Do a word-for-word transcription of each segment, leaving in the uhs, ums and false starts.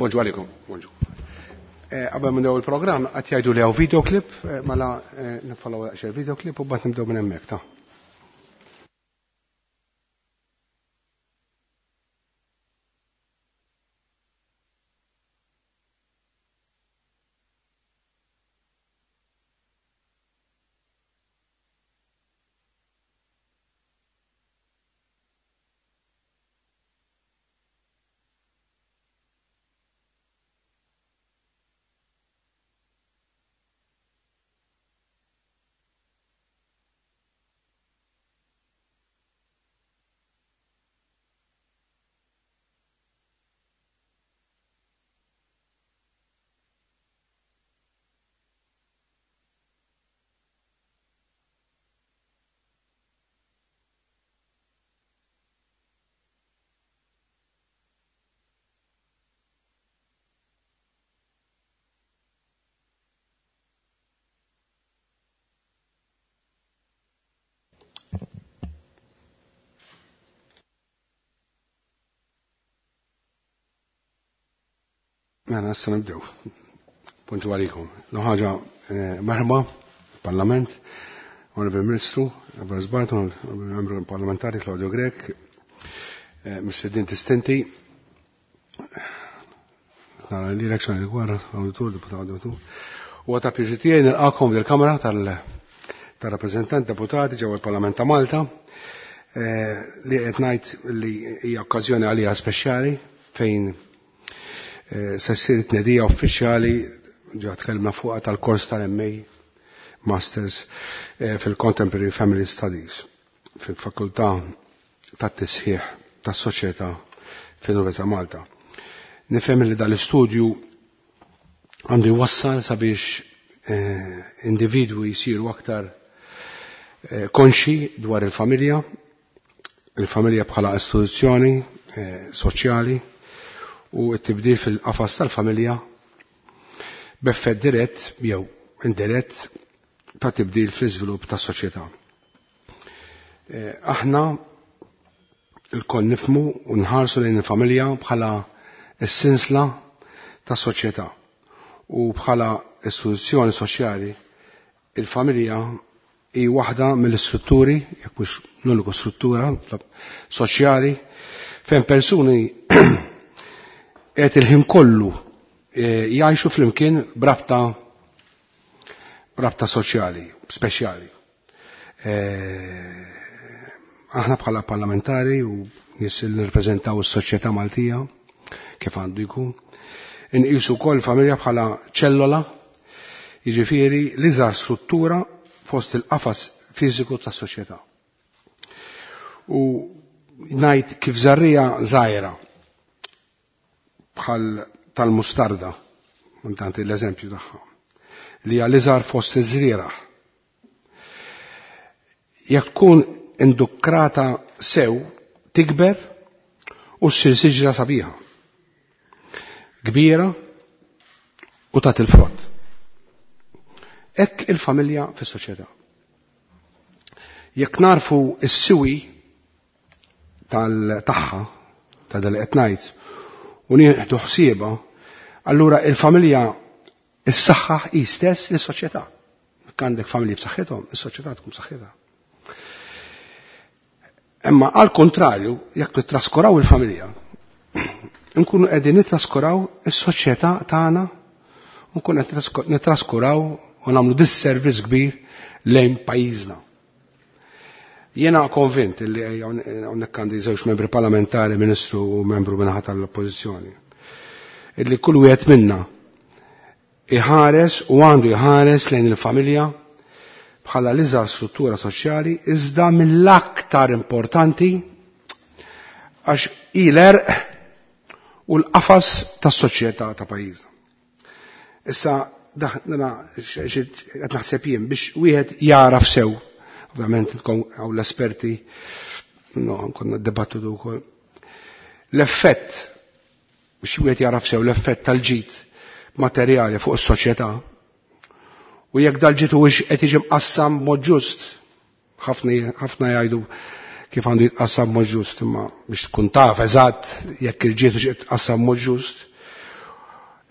Bonġu għalikom, bonġu. Qabel minn il-programm qed jgħidu li hawn videoclip, mela nifollow daqsxejn videoclip u mbagħad nibdew minn hemmhekk ta'. Mela, issa nibdew. Bonġu għalikom. Ħaġa merħba, Parlament, Onorevoli Ministru, Boris Barton, Membru Parlamentari Claudio Grech, Mistednin distinti, nara li l-elezzjoni li gwara, auditur, deputat auditur. U għata pjaċir tiegħi nilqakom dil-Kamra tal-rappreżentant deputati ġewwa l-Parlament ta' Malta, li qed ngħid li hija okkażjoni għalija speċjali fejn se ssir tnedija uffiċjali ġa tkellmna fuqha tal-kors tal-M A Masters fil-Contemporary Family Studies fil-Fakultà tat-Tisħiħ tas-Soċjetà fil-Università Malta. Nifhem li dal-istudju għandu jwassal sabiex individwi jsiru aktar konxi dwar il-familja, il-familja bħala istituzzjoni soċjali u t-tibdil fil-qafas tal-familja b'effett dirett jew indirett ta' tibdil fl-iżvilupp tas-soċjetà. Aħna lkoll nifhmu u nħarsu lejn il-familja bħala s-sinsla tas-soċjetà u bħala istituzzjoni soċjali il-familja hi waħda mill-istrutturi, jekk mhux l-uniku struttura soċjali fejn persuni qed il-ħin kollu jgħixu flimkien b'rabta b'rabta soċjali, speċjali. Aħna bħala parlamentari u nies li nirrepreżentaw is-soċjetà Maltija kif għandu jkun, inqisu wkoll familja bħala ċellola, jiġifieri l-iżgħar struttura fost il-qafas fiżiku tas-soċjetà. U ngħid kif żarrija żgħira bħal tal-mustarda, intanti l-eżempju tagħha, li hija l-iżgħar fost iż-żrieragħ. Jekk tkun indukrata sew, tikber u ssir siġra sabiħa, kbira u tagħti l-frott. Hekk il-familja fis-soċjetà. Jekk narfu s-siwi tal-tagħha, ta' dal qed ngħid, u nieħdu ħsiebha, allura il-familja issaħħaħ hi stess lis-soċjetà. Jekk għandek familji b'saħħithom, is-soċjetà tkun b'saħħitha. Imma għal kontrarju, jekk nittraskuraw il-familja, nkunu qegħdin nittraskuraw is-soċjetà tagħna, nkunu qed nittraskuraw u nagħmlu disservice kbir lejn pajjiżna. Jiena konvint li hawnhekk għandi żewġ membri parlamentari, ministru u membru minnaħa tal-oppożizzjoni, illi kull wieħed minna iħares u għandu jħares lejn il-familja bħala l-iżgħar struttura soċjali iżda mill-aktar importanti għax hi l-għerq u l-qafas tas-soċjetà ta' pajjiżna. Issa daħna qed naħseb jien biex wieħed jaraf sew, ovvjament intkom hawn l-esperti, no, konna dibattitu wkoll. L-effett biex wieħed jaraf sew l-effett tal-ġid materjali fuq is-soċjetà u jekk dal-ġid huwiex qed jiġi mqassam b'mod ġust, ħafna jgħidu kif għandu jitqassam b'mod ġust, imma biex tkun taf eżatt jekk il-ġid hux qed jitqassam b'mod ġust,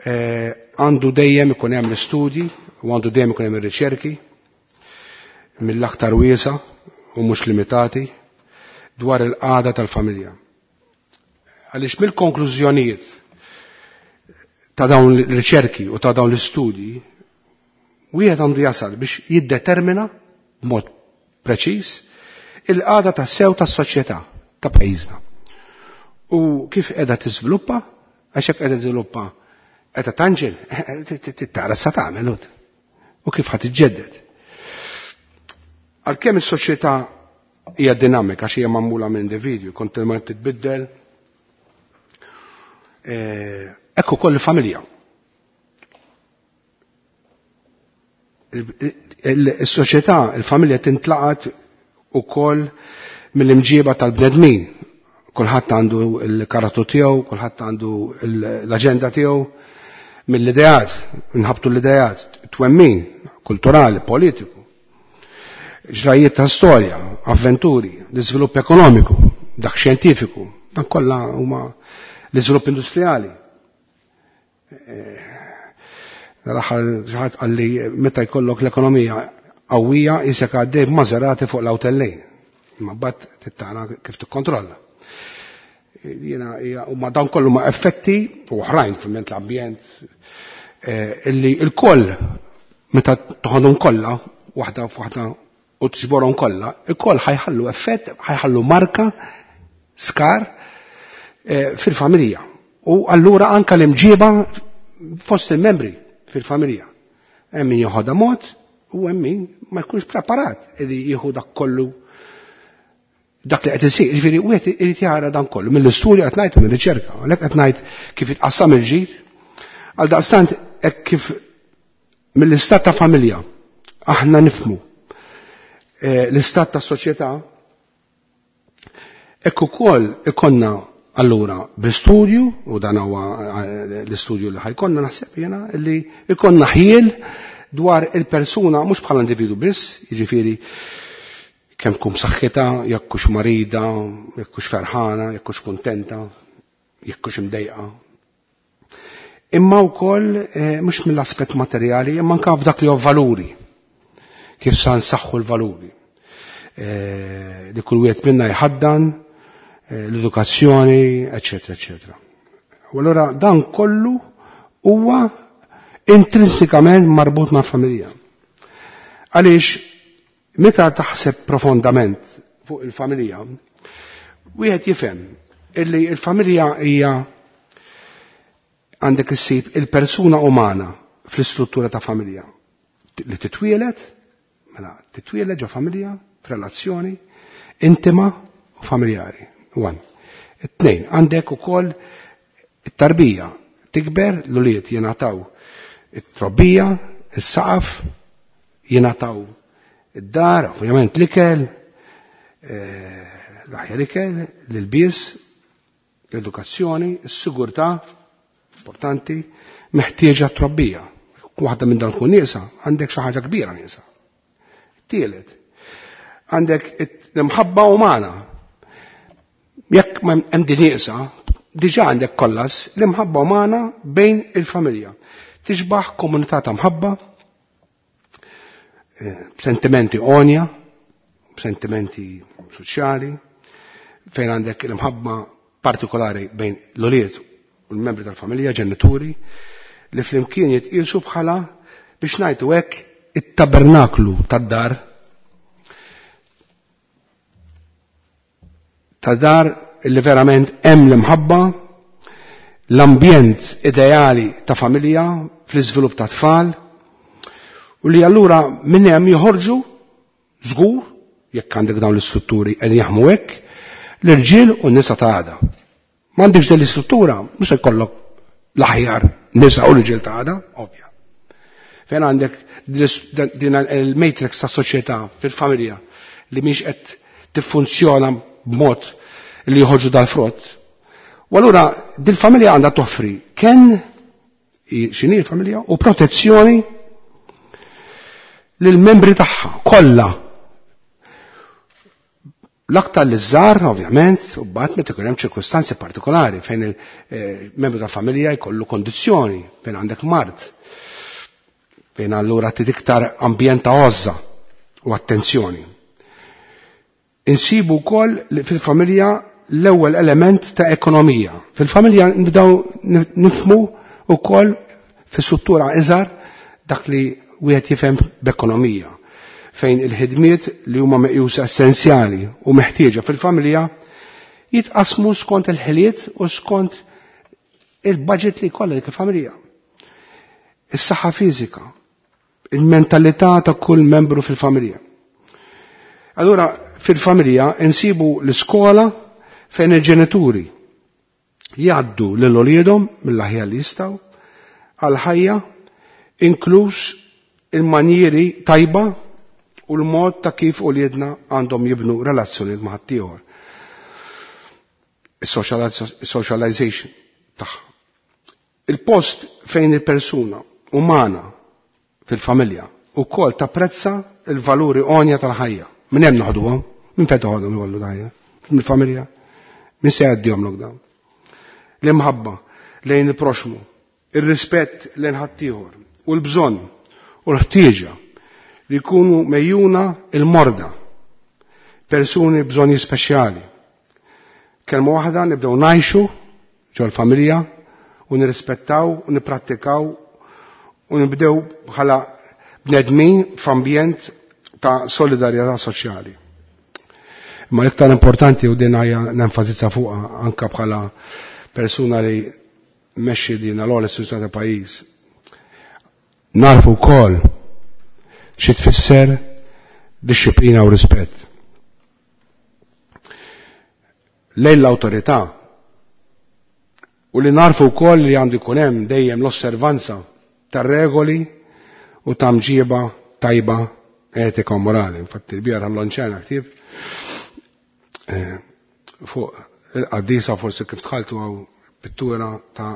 Għandu dejjem ikun hemm l-istudji u għandu dejjem ikun hemm ir-riċerki mill-aktar wiesa u mhux limitati dwar il-qagħda tal-familja. Għaliex mill-konklużjonijiet ta' dawn l-riċerki u ta' dawn l-istudji wieħed għandu jasal biex jiddetermina b'mod preċiż il-qagħda tas-sew tas-soċjetà ta' pajjiżna. U kif qiegħda tiżviluppa, għax hekk qiegħda tiżviluppa qiegħda tanġel, tara sa tagħmel u kif ħadd iġġedded. Għalkemm is-soċjetà hija dinamika għax hija magħmula minn individwi, kontinwament titbiddel, hekk ukoll il-familja. Is-soċjetà, il-familja tintlaqat ukoll mill-imġieba tal-bnedmin. Kulħadd għandu l-karattru tiegħu, kulħadd għandu l-aġenda tiegħu, mill-ideat, nħabtu l-ideat, twemmin, kulturali, politiku, ġrajiet ta' storja, avventuri, l-iżvilupp ekonomiku, dak xjentifiku, dan kollha huma l-iżvilupp industrijali. L-aħħar xi ħadd qalli meta jkollok l-ekonomija qawwija isek għaddej b'Maserati fuq l-awtellejn. Imma mbagħad tittara kif tikkontrolla. Jiena huma dawn kollu ma' effetti u oħrajn fil-ment l-ambjent illi l-koll meta toħodhom kollha waħda f'waħda u tġborhom kollha, il-koll ħajħallu effett, ħajħallu marka, skar fil-familja. U allura anka l-imġiba fost il-membri fil-familja. Hemm min joħodha mod u hemm min ma jkunx preparat li jieħu dak kollu dak li qed isir. Jiġifieri wieħed irid jara dan kollu mill-istorja qed ngħid u mir-riċerka, għalhekk qed ngħid kif itqassam il-ġid. Għal daqstant hekk kif mill-istat ta' familja aħna nifhmu l-istat ta' soċjetà, hekk ukoll ikonna allura bl-istudju, u dan huwa l-istudju li ħajkonna naħseb jiena, li ikonna ħiel dwar il-persuna mhux bħala individu biss, jiġifieri kemm tkun b'saħħitha, jekk hux marida, jekk hux ferħana, jekk hux kuntenta, jekk hux imdejqa. Imma wkoll mhux mill-aspett materjali, imma anke f'dak li huwa valuri. Kif sa nsaħħu l-valuri. Li kull wieħed minna jħaddan, l-edukazzjoni, eċetera, eċetera. U allura dan kollu huwa intrinsikament marbut ma' familja. Għaliex meta taħseb profondament fuq il-familja, wieħed jifhem illi il-familja hija għandek issib il-persuna umana fl-istruttura ta' familja li titwielet, mela titwielet ġo familja, f'relazzjoni intima u familjari. One. Tnejn, għandek ukoll it-tarbija tikber, l-ulied jingħataw it-trobbija, is-saqaf, jingħataw id-dar, ovvjament l-ikel, l-aħjar ikel, l-ilbies, l-edukazzjoni, is-sigurtà, importanti, meħtieġa t-trobbija. Waħda minn dan tkun nieqsa, għandek xi ħaġa kbira nieqsa. Tielet, għandek l-imħabba umana. Jekk hemm din nieqsa, diġà għandek kollas l-imħabba umana bejn il-familja. Tixbaħ komunità ta' mħabba, sentimenti onja, sentimenti soċjali, fejn għandek l-imħabba partikolari bejn l-ulied u l-membri tal-familja, ġenituri, li flimkien jitqisu bħala biex ngħidu hekk it-tabernaklu tad-dar ta' dar li verament hemm l-imħabba, l-ambjent ideali ta' familja fl-iżvilupp ta' tfal, u li allura minn hemm joħorġu żgur, jekk għandek dawn l-istrutturi qegħdin jaħmu hekk, l-irġiel u n-nisa ta' għada. M'għandekx din l-istruttura, mhux se jkollok l-aħjar nisa u l-irġiel ta' għada, ovvja. Fejn għandek din il-matrix ta' soċjetà fil-familja li mhix qed tiffunzjona b'mod li joħorġu dal-frott. U allura dil-familja għandha toffri kenn x'inhi l-familja u protezzjoni lill-membri tagħha kollha. L-aktar li żgħar, ovvjament, u mbagħad meta ikun hemm ċirkustanzi partikolari fejn il-membru tal-familja jkollu kondizzjoni, fejn għandek mard, fejn allura trid iktar ambjent ta' għożża u attenzjoni. Insibu wkoll fil-familja l-ewwel element ta' ekonomija. Fil-familja nibdew nifhmu wkoll fis-struttura iżgħar dak li wieħed jifhem b'ekonomija, fejn il-ħidmiet li huma meqjusa essenzjali u meħtieġa fil-familja jitqasmu skont il-ħiliet u skont il-budget li jkollha dik il-familja. Is-saħħa fiżika, il-mentalità ta' kull membru fil-familja. Allura fil-familja insibu l-iskola fejn il-ġenituri jgħaddu lil uliedhom mill-aħjar li jistgħu għal-ħajja, inkluż il-manjieri tajba u l-mod ta' kif uliedna għandhom jibnu relazzjonijiet ma' ħaddieħor. Is-socialization tagħha. Il-post fejn il-persuna umana fil-familja ukoll tapprezza il-valuri għonja tal-ħajja. Minn hemm noħduhom, minn fejn toħodhom il-valuri tal-ħajja? Mill-familja. Min se jgħaddihom lok dawn? L-imħabba lejn il-proxmu, ir-rispett lejn ħaddieħor u l-bżonn u l-ħtieġa li jkunu mejjuna il-morda, persuni bżonni speċjali. Kelma waħda nibdew ngħixu ġol-familja u nirrispettaw u nipprattikaw u nibdew bħala bnedmin f'ambjent ta' solidarjetà soċjali. Ma l-iktar importanti u din hija nenfasizza fuqha anka bħala persuna li mexxi din l-ogħla istituzzjoni ta' pajjiż. Narfu wkoll xi tfisser disċiplina u rispett. Lejn l-awtorità u li narfu wkoll li għandu jkun hemm dejjem l-osservanza tar-regoli u ta' mġiba tajba etika u morali. Infatti l-bieraħ ħallonċena ktieb fuq il-qaddisa, forsi kif dħaltu għaw pittura ta'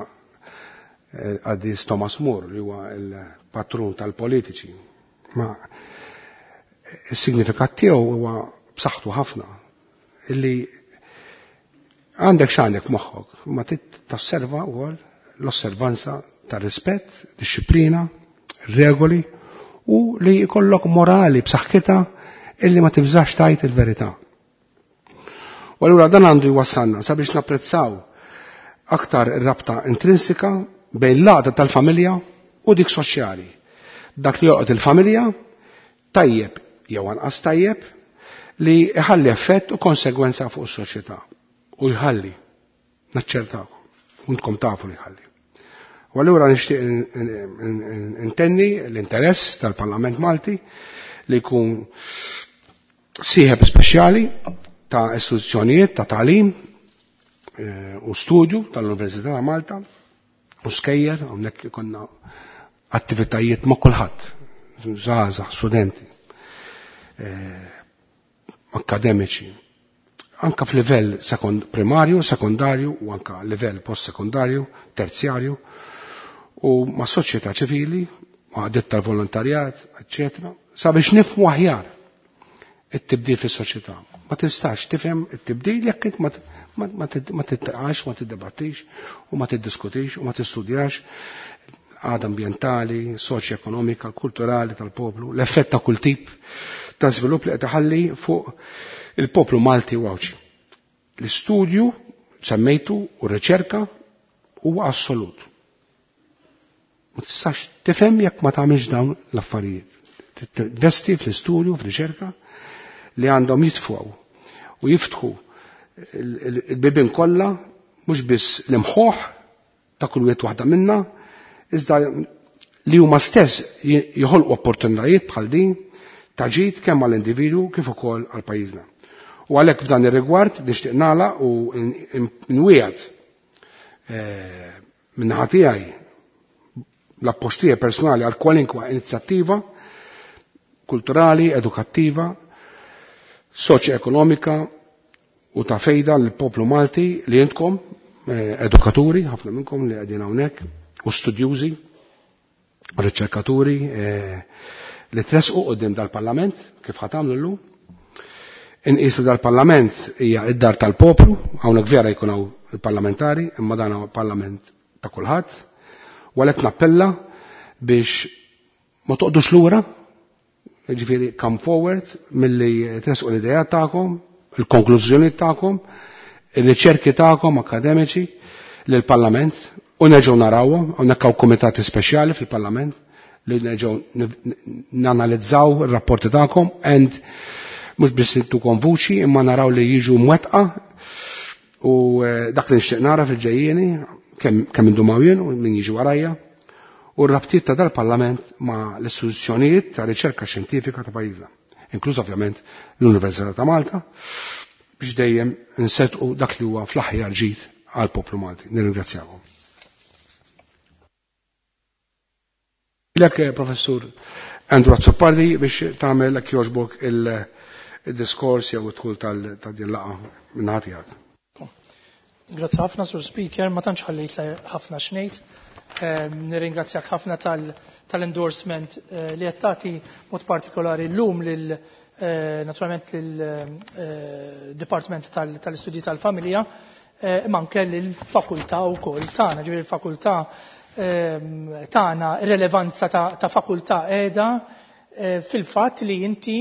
qaddis Thomas More li huwa il-patrun tal-politiċi. Ma il-signifikat tiegħu huwa b'saħħtu ħafna illi għandek x'għandek f'moħħok, ma tosserva wkoll l-osservanza tar-rispett, disċiplina, regoli u li jkollok morali b'saħħitha illi ma tibżax tajt il-verità. U allura dan għandu jwassalna sabiex napprezzaw aktar ir-rabta intrinsika bejn l-għaqda tal-familja u dik soċjali. Dak li joqgħod il-familja tajjeb jew anqas tajjeb li jħalli effett u konsegwenza fuq is-soċjetà. U jħalli, naċċertakom, untkom tafu li jħalli. U allura nixtieq intenni l-interess tal-Parlament Malti li jkun sieħeb speċjali ta' istituzzjonijiet ta' tagħlim u studju tal-Università ta' Malta u skejjer, hawnhekk ikollna attivitajiet ma' kulħadd, żgħażagħ, studenti, akademiċi, anka f'livell primarju, sekondarju u anka livell post-sekondarju, terzjarju, u ma' soċjetà ċivili, ma' għadiet tal-volontarjat, eccetera, sabiex nifhmu aħjar it-tibdil fis-soċjetà. Ma tistax tifhem it-tibdil jekk int ma titqax, ma tiddebattix u ma tiddiskutix u ma tistudjax għada ambjentali, soċjoekonomika, kulturali tal-poplu, l-effett ta' kull tip ta' żvilupp li qed iħalli fuq il-poplu Malti u Għawdxi. L-istudju semmejtu u r-riċerka huwa assolut. Ma tistax tifhem jekk ma tagħmilx dawn l-affarijiet. Tinvesti fl-istudju, fl-riċerka li għandhom jitfgħu u jiftħu il-bibien kollha mhux biss l-imħuħ ta' kull wieħed waħda minna, iżda li huma stess joħolqu opportunitajiet bħal din ta' ġid kemm għall-individwu kif ukoll għal pajjiżna. U għalhekk f'dan ir-rigward nixtieq nagħlaq u nwiegħed min-naħa tiegħi l-appoġġ tiegħi personali għal kwalinkwa inizjattiva kulturali, edukattiva, soċjoekonomika u ta' fejda lill-poplu Malti li intkom edukaturi, ħafna minnkom li qegħdin hawnhekk, u studjużi, riċerkaturi li tresqu quddiem dal-Parlament kif ħa tagħmlu llum, Inqisu dal-Parlament hija id-dar tal-poplu, hawnhekk vera jkun hawn il-parlamentari, imma dan huwa parlament ta' kulħadd, u għalhekk nappella biex ma toqgħodux lura, jiġifieri come forward milli tresqu l-idea tagħkom, il-konklużjoni tagħkom, ir-riċerki tagħkom akademiċi lill-Parlament u nerġgħu narawhom, hawnhekk hawn kumitati speċjali fil-Parlament li nerġgħu nanalizzaw ir-rapporti tagħkom and mhux biss nittukom vuċi imma naraw li jiġu mwettqa u dak li nixtieq nara fil-ġejjieni kemm kemm indumaw jien u min jiġi warajja u r-rabtiet ta' dal-Parlament ma' l-istituzzjonijiet ta' riċerka xjentifika ta' pajjiżna, inkluż ovvjament l-Università ta' Malta, biex dejjem nsettqu dak li huwa fl-aħjar ġid għall-poplu Malti. Nirringrazzjakom. Lek Professur Andrew Azzopardi biex tagħmel hekk jogħġbok il-diskors jew id-dħul ta' din laqgħa minn tiegħek. Grazzi ħafna, Sur Speaker, ma tantx ħallejt ħafna xnejt. Nirringrazzjak ħafna tal-endorsement li qed tagħti mod partikolari llum lil naturalment lil-Dipartiment tal-Istudji tal-Familja, imma anke lill-fakultà wkoll tagħna, ġifieri il-fakultà tagħna rilevanza ta' fakultà qiegħda fil-fatt li inti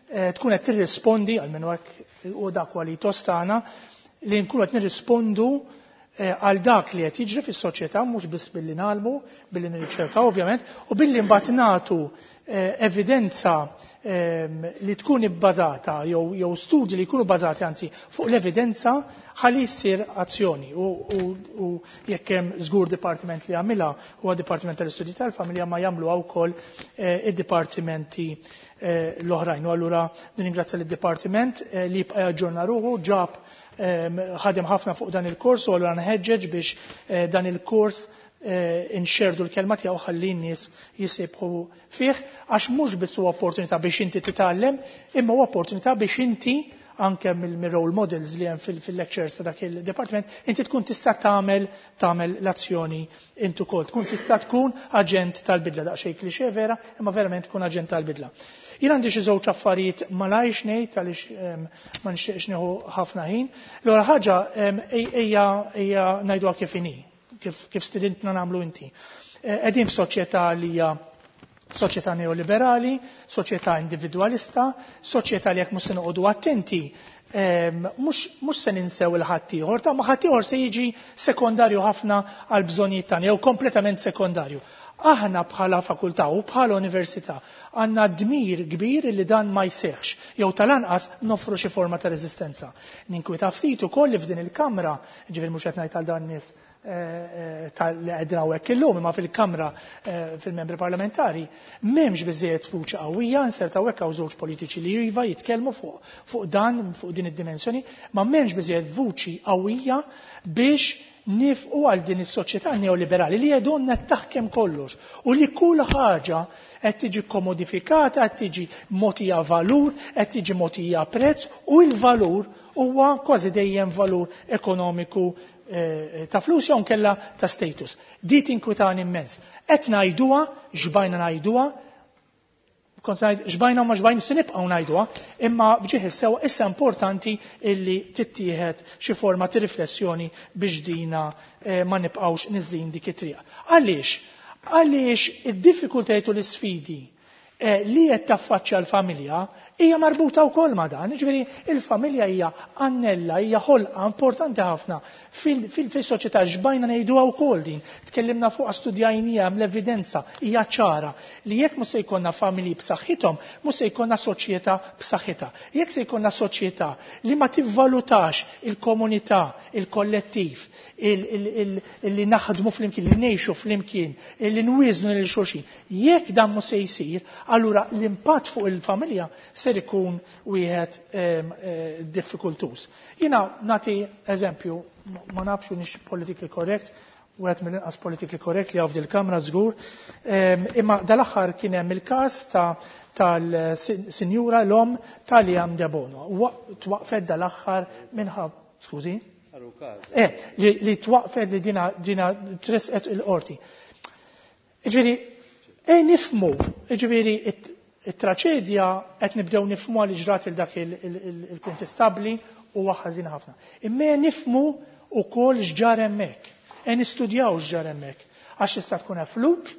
tkun qed tirrispondi għalmenu hekk u dak kwalitos tagħna li nkunu qed nirrispondu għal dak li qed jiġri fis-soċjetà mhux biss billi nagħlmu, billi nirriċerkaw ovvjament, u billi mbagħad nagħtu evidenza li tkun ibbażata jew jew studji li jkunu bbażati anzi fuq l-evidenza ħalli jsir azzjoni u, u, u jekk hemm żgur dipartiment li jagħmilha huwa Dipartiment tal-Istudji tal-Familja ma jagħmluha wkoll id-dipartimenti l-oħrajn. U allura nirringrazzja lid-dipartiment li jibqa' jaġġorna ruħu, ġab ħadem ħafna fuq dan il-kors u allura nħeġġeġ biex dan il-kors inxerdu l-kelma tiegħu ħalli n-nies jisibħu fih għax mhux biss huwa opportunità biex inti titgħallem, imma huwa opportunità biex inti anke mill-role models li hemm fil-lectures ta' dak il-department, inti tkun tista' tagħmel tagħmel l-azzjoni intu ukoll, tkun tista' tkun aġent tal-bidla, daqsxejn klixè vera, imma verament tkun aġent tal-bidla. Jien għandi xi żewġ affarijiet malajr ngħid għaliex ma nixtieqx nieħu ħafna ħin. L-ewwel ħaġa ejja ejja ngħiduha kif inhi, kif kif stidintna nagħmlu inti. Qegħdin f'soċjetà li hija soċjetà neoliberali, soċjetà individwalista, soċjetà li jekk mhux se noqogħdu attenti, mhux se ninsew il-ħaddieħor, ta' ma ħaddieħor se jiġi sekondarju ħafna għal bżonnijiet tagħna jew kompletament sekondarju. Aħna bħala fakultà u bħala università għandna dmir kbir li dan ma jseħħx jew tal-anqas nofru xi forma ta' reżistenza. Ninkwita ftit ukoll li f'din il-kamra, ġifieri mhux qed ngħid għal dan nies tal-li qegħdin hawnhekk illum, imma fil-kamra fil-membri parlamentari m'hemmx biżejjed vuċi qawwija, inserta hawnhekk hawn żewġ politiċi li iva jitkellmu fuq fuq dan, fuq din id-dimensjoni, ma m'hemmx biżejjed vuċi qawwija biex nifqu għal din is-soċjetà neoliberali li jedonna taħkem kollox u li kull ħaġa qed tiġi komodifikata, qed tiġi mogħtija valur, qed tiġi mogħtija prezz u l-valur huwa kważi dejjem valur ekonomiku ta' flus jew nkella ta' status. Di tinkwitani immens. Qed ngħiduha, xbajna ngħiduha, kont ngħid xbajna u ma xbajna se nibqgħu ngħiduha, imma bġieħ is-sewa issa importanti illi tittieħed xi forma ta' riflessjoni biex dina ma nibqgħux niżlin dik it-triq. Għaliex? Għaliex id-diffikultajiet u l-isfidi li qed taffaċċja l-familja hija marbuta wkoll ma' dan. Jiġifieri il-familja hija annella, hija ħolqa importanti ħafna fil-soċjetà, xbajna ngħiduha wkoll din. Tkellimna fuqha, studjajnija, hemm l-evidenza, hija ċara li jekk mhux se jkollna familji b'saħħithom, mhux se jkollna soċjetà b'saħħitha. Jekk se jkollna soċjetà li ma tivvalutax il-komunità, il-kollettiv, li naħdmu flimkien, li ngħixu flimkien, li nwieżnu lil xulxin, jekk dan mhux se jsir, allura l-impatt fuq il-familja ser ikun wieħed diffikultuż. Jiena nagħti eżempju, ma nafx nix politically correct, wieħed mill-inqas politically correct li hawn f'dil-kamra żgur, imma dal-aħħar kien hemm il-każ ta' tal-sinjura l-om ta' Liam Debono. Twaqfet dal-aħħar minħabba, skużi? Eh, li, li twaqfet li dina, dina tresqet il-qorti. Ġifieri, e nifmu, ġifieri, It-traċedja qed nibdew nifhmu li ġrat il dak il-kontestabli huwa ħażin ħafna. Imma nifhmu wkoll x'ġar hemmhekk, e nistudjaw x'ġar hemmhekk. Għax tista' tkun fluke,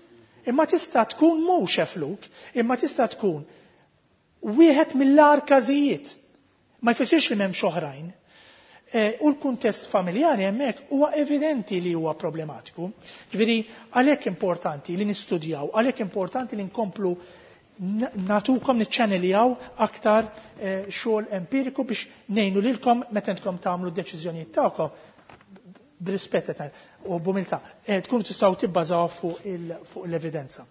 imma tista' tkun mhux fluke, imma tista' tkun wieħed mill-agħar każijiet. Ma jfissirx li m'hemmx oħrajn. U l-kuntest familjari hemmhekk huwa evidenti li huwa problematiku. Ġifieri għalhekk importanti li nistudjaw, għalhekk importanti li nkomplu natukom niċċaneljaw aktar xogħol empiriku biex ngħinu lilkom meta intkom tagħmlu d-deċiżjonijiet tagħkom b'rispett u b'umiltà tkunu tistgħu tibbażaw fuq l-evidenza.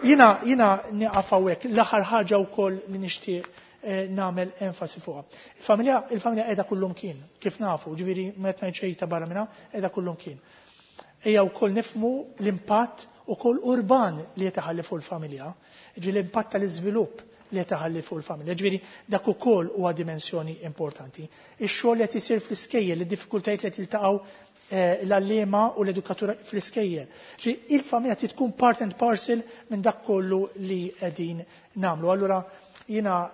Jiena jiena nieqaf hawnhekk l-aħħar ħaġa wkoll li nixtieq nagħmel enfasi fuqha. Il-familja il-familja qiegħda kullum kien, kif nafu, ġifieri meta ngħid xejn ta' barra minnha, qiegħda kullum kien. Ejja wkoll nifhmu l-impatt ukoll urban li qed iħalli fuq il-familja, ġifieri l-impatt tal-iżvilupp li qed iħalli fuq il-familja, ġifieri dak ukoll huwa dimensjoni importanti. Ix-xogħol li qed isir fl-iskejjel, id-diffikultajiet li qed jiltaqgħu l-għalliema u l-edukatura fl-iskejjel. Ġifieri il-familja trid tkun part and parcel minn dak kollu li qegħdin nagħmlu. Allura jiena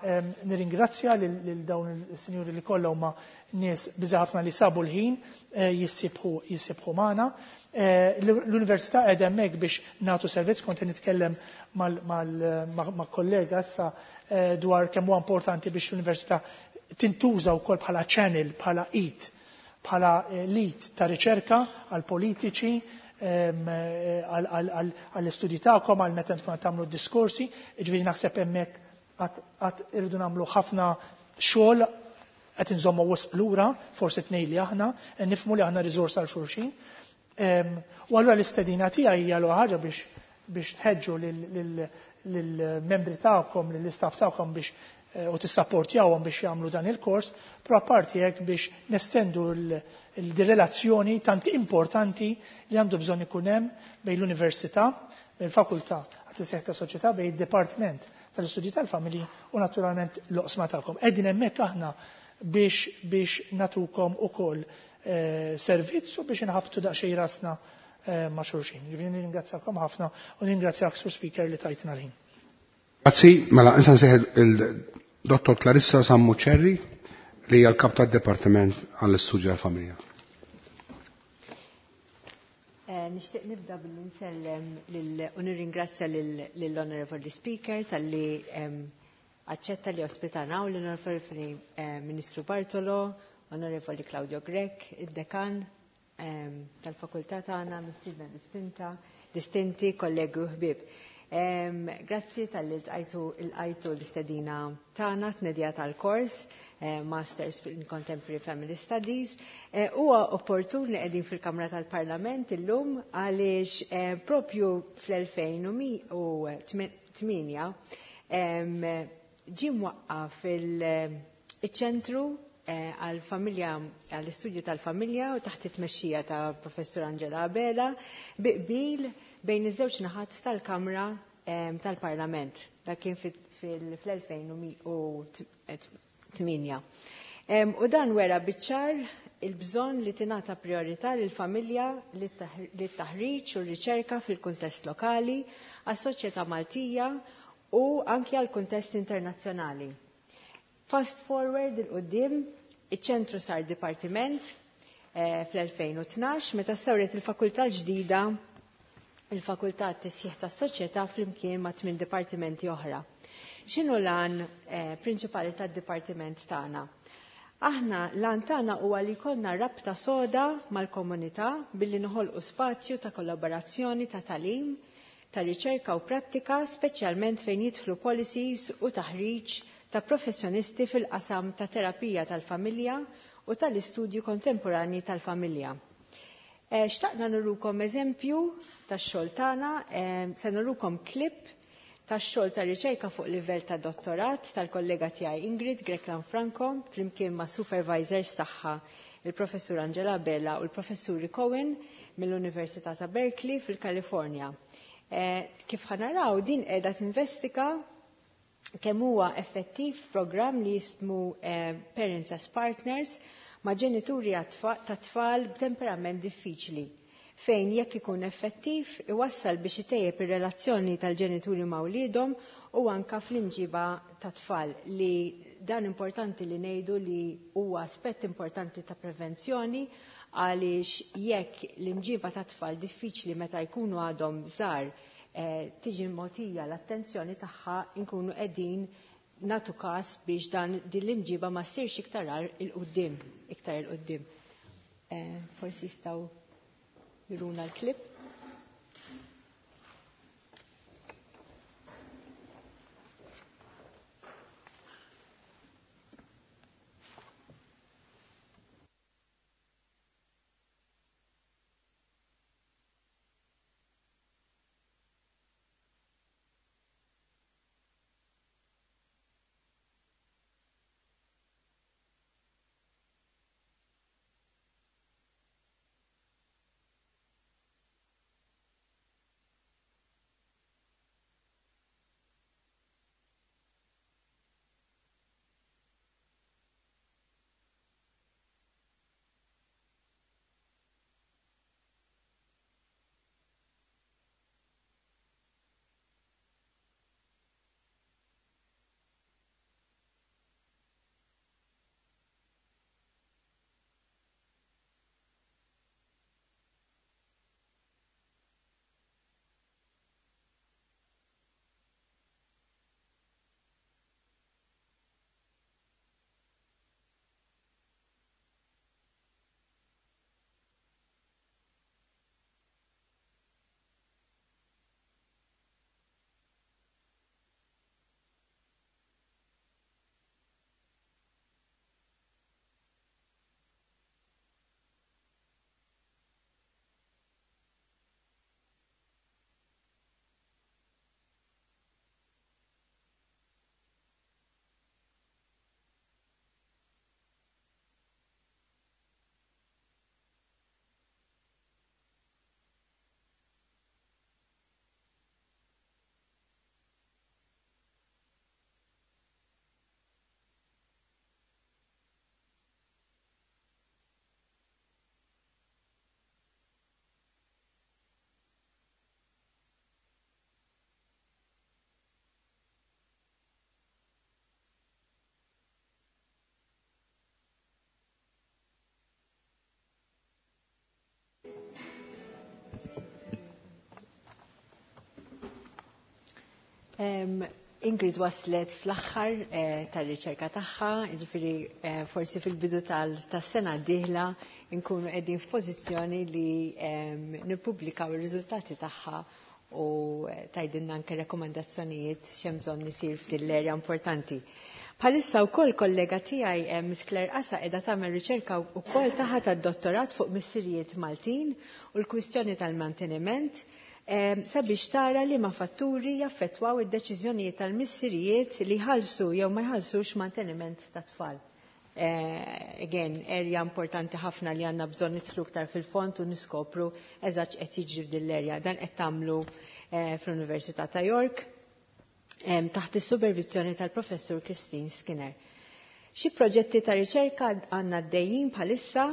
nirringrazzja lil dawn is-sinjuri li kollha huma nies biża' ħafna li sabu l-ħin jissibħu jissibħu magħna. L-università qiegħda hemmhekk biex nagħtu servizz, kont nitkellem ma' kollega issa dwar kemm huwa importanti biex l-università tintuża wkoll bħala channel, bħala it, bħala lead ta' riċerka għal politiċi, għall-istudji tagħkom, għal meta tkun tagħmlu diskorsi, ġifieri naħseb hemmhekk għad irridu nagħmlu ħafna xogħol qed inżommu wisq lura, forsi tnejn li aħna, nifhmu li aħna riżors għal xulxin. U allura l-istedina tiegħi hija l ħaġa biex biex tħeġġu lill-membri tagħkom, lill-istaff tagħkom biex u tissapportjawhom biex jagħmlu dan il-kors, però apparti hekk biex nestendu l-relazzjoni tant importanti li għandu bżonn ikun hemm bejn l-università, bejn il-fakultà għat-tisħiħ ta' soċjetà, bejn id-dipartiment tal-istudji tal-familji u naturalment l-oqsma tagħkom. Qegħdin hemmhekk aħna biex biex natukom ukoll servizz u biex inħabtu daqsxejn rasna ma' xulxin. Ġifieri nirringrazzjakom ħafna u nirringrazzjak Sur Speaker li tajtna l-ħin. Grazzi, mela issa nsejħ il-Dottor Clarissa Sammuccerri li hija l-kap tad-Dipartiment għall-Istudju tal-Familja. Nixtieq nibda billi nsellem u nirringrazzja lill-Honorable Speaker talli aċċetta li ospitana u l-Onorevoli Ministru Bartolo, Onorevoli Claudio Grech, id-dekan tal-fakultà tagħna, mistiedna distinta, distinti, kollegi u ħbieb. Grazzi talli lqajtu lqajtu l-istedina tagħna tnedija tal-kors Masters in Contemporary Family Studies. Huwa opportun li qegħdin fil-Kamra tal-Parlament illum għaliex propju fl-elfejn u tmienja ġie mwaqqaf il-ċentru għal-familja, għall-istudju tal-familja u taħt it-tmexxija ta' Professur Angela Abela bi qbil bejn iż-żewġ naħat tal-Kamra tal-Parlament. Dak kien fl-elfejn u tmienja. U dan wera biċ-ċar il-bżonn li tingħata priorità lill-familja, lit-taħriġ u r-riċerka fil-kuntest lokali, għas-soċjetà Maltija u anki għall-kuntest internazzjonali. Fast forward il-qudiem, iċ-ċentru sar dipartiment fl-elfejn u tnax meta stawret il-fakultà ġdida, il-fakultà tisħiħ tas-soċjetà flimkien ma' tmien dipartimenti oħra. X'inhu l-għan prinċipali tad-dipartiment tagħna? Aħna l-għan tagħna huwa li jkollna rabta soda mal-komunità billi noħolqu spazju ta' kollaborazzjoni ta' tagħlim, ta' riċerka u prattika, speċjalment fejn jidħlu policies u taħriġ ta' professjonisti fil-qasam ta' terapija tal-familja u tal-istudju kontemporanji tal-familja. Xtaqna nurukom eżempju tax-xogħol tagħna, se nurukom klip tax-xogħol ta' riċerka fuq livell ta' dottorat tal-kollega tiegħi Ingrid Greklan Franco flimkien ma' supervisors tagħha il-Professur Angela Bella u l-Professuri Cohen mill-Università ta' Berkeley fil-Kalifornja. Kif ħanaraw din qiegħda tinvestiga kemm huwa effettiv programm li jismu Parents as Partners ma' ġenituri ta' tfal b'temperament diffiċli fejn jekk ikun effettiv iwassal biex itejjeb ir-relazzjoni tal-ġenituri ma' wliedhom u anka fl-imġiba ta' tfal, li dan importanti li ngħidu li huwa aspett importanti ta' prevenzjoni, għaliex jekk l-imġiba ta' tfal diffiċli meta jkunu għadhom żgħar eh, tiġi mogħtija l-attenzjoni tagħha, nkunu qegħdin natu każ biex dan din l-imġiba ma ssirx iktar il-qudiem, iktar il-qudiem. Eh, forsi jistgħu juruna l-klip. Um, Ingrid waslet fl-aħħar eh, tar-riċerka tagħha, jiġifieri eh, forsi fil-bidu tas-sena d-dieħla nkunu qegħdin f'pożizzjoni li eh, nippubblikaw ir-riżultati tagħha u tgħidilna anke rekomendazzjonijiet x'hemm bżonn isir f'din l-erja importanti. Bħalissa wkoll kollega tiegħi eh, Miss Claire Qasa qiegħda tagħmel riċerka wkoll tagħha tad-dottorat fuq missirijiet Maltin u l-kwistjoni tal-manteniment, sabiex tara li ma fatturi jaffettwaw id-deċiżjonijiet tal-missirijiet li jħallsu jew ma jħallsux manteniment ta' tfal. Again, area importanti ħafna li għandna bżonn nidħlu iktar fil-fond u niskopru eżatt qed jiġri f'din l-erja. Dan qed tagħmlu fl-Università ta' York taħt is-supervizjoni tal-Professur Christine Skinner. Xi proġetti ta' riċerka għandna għaddejjin bħalissa.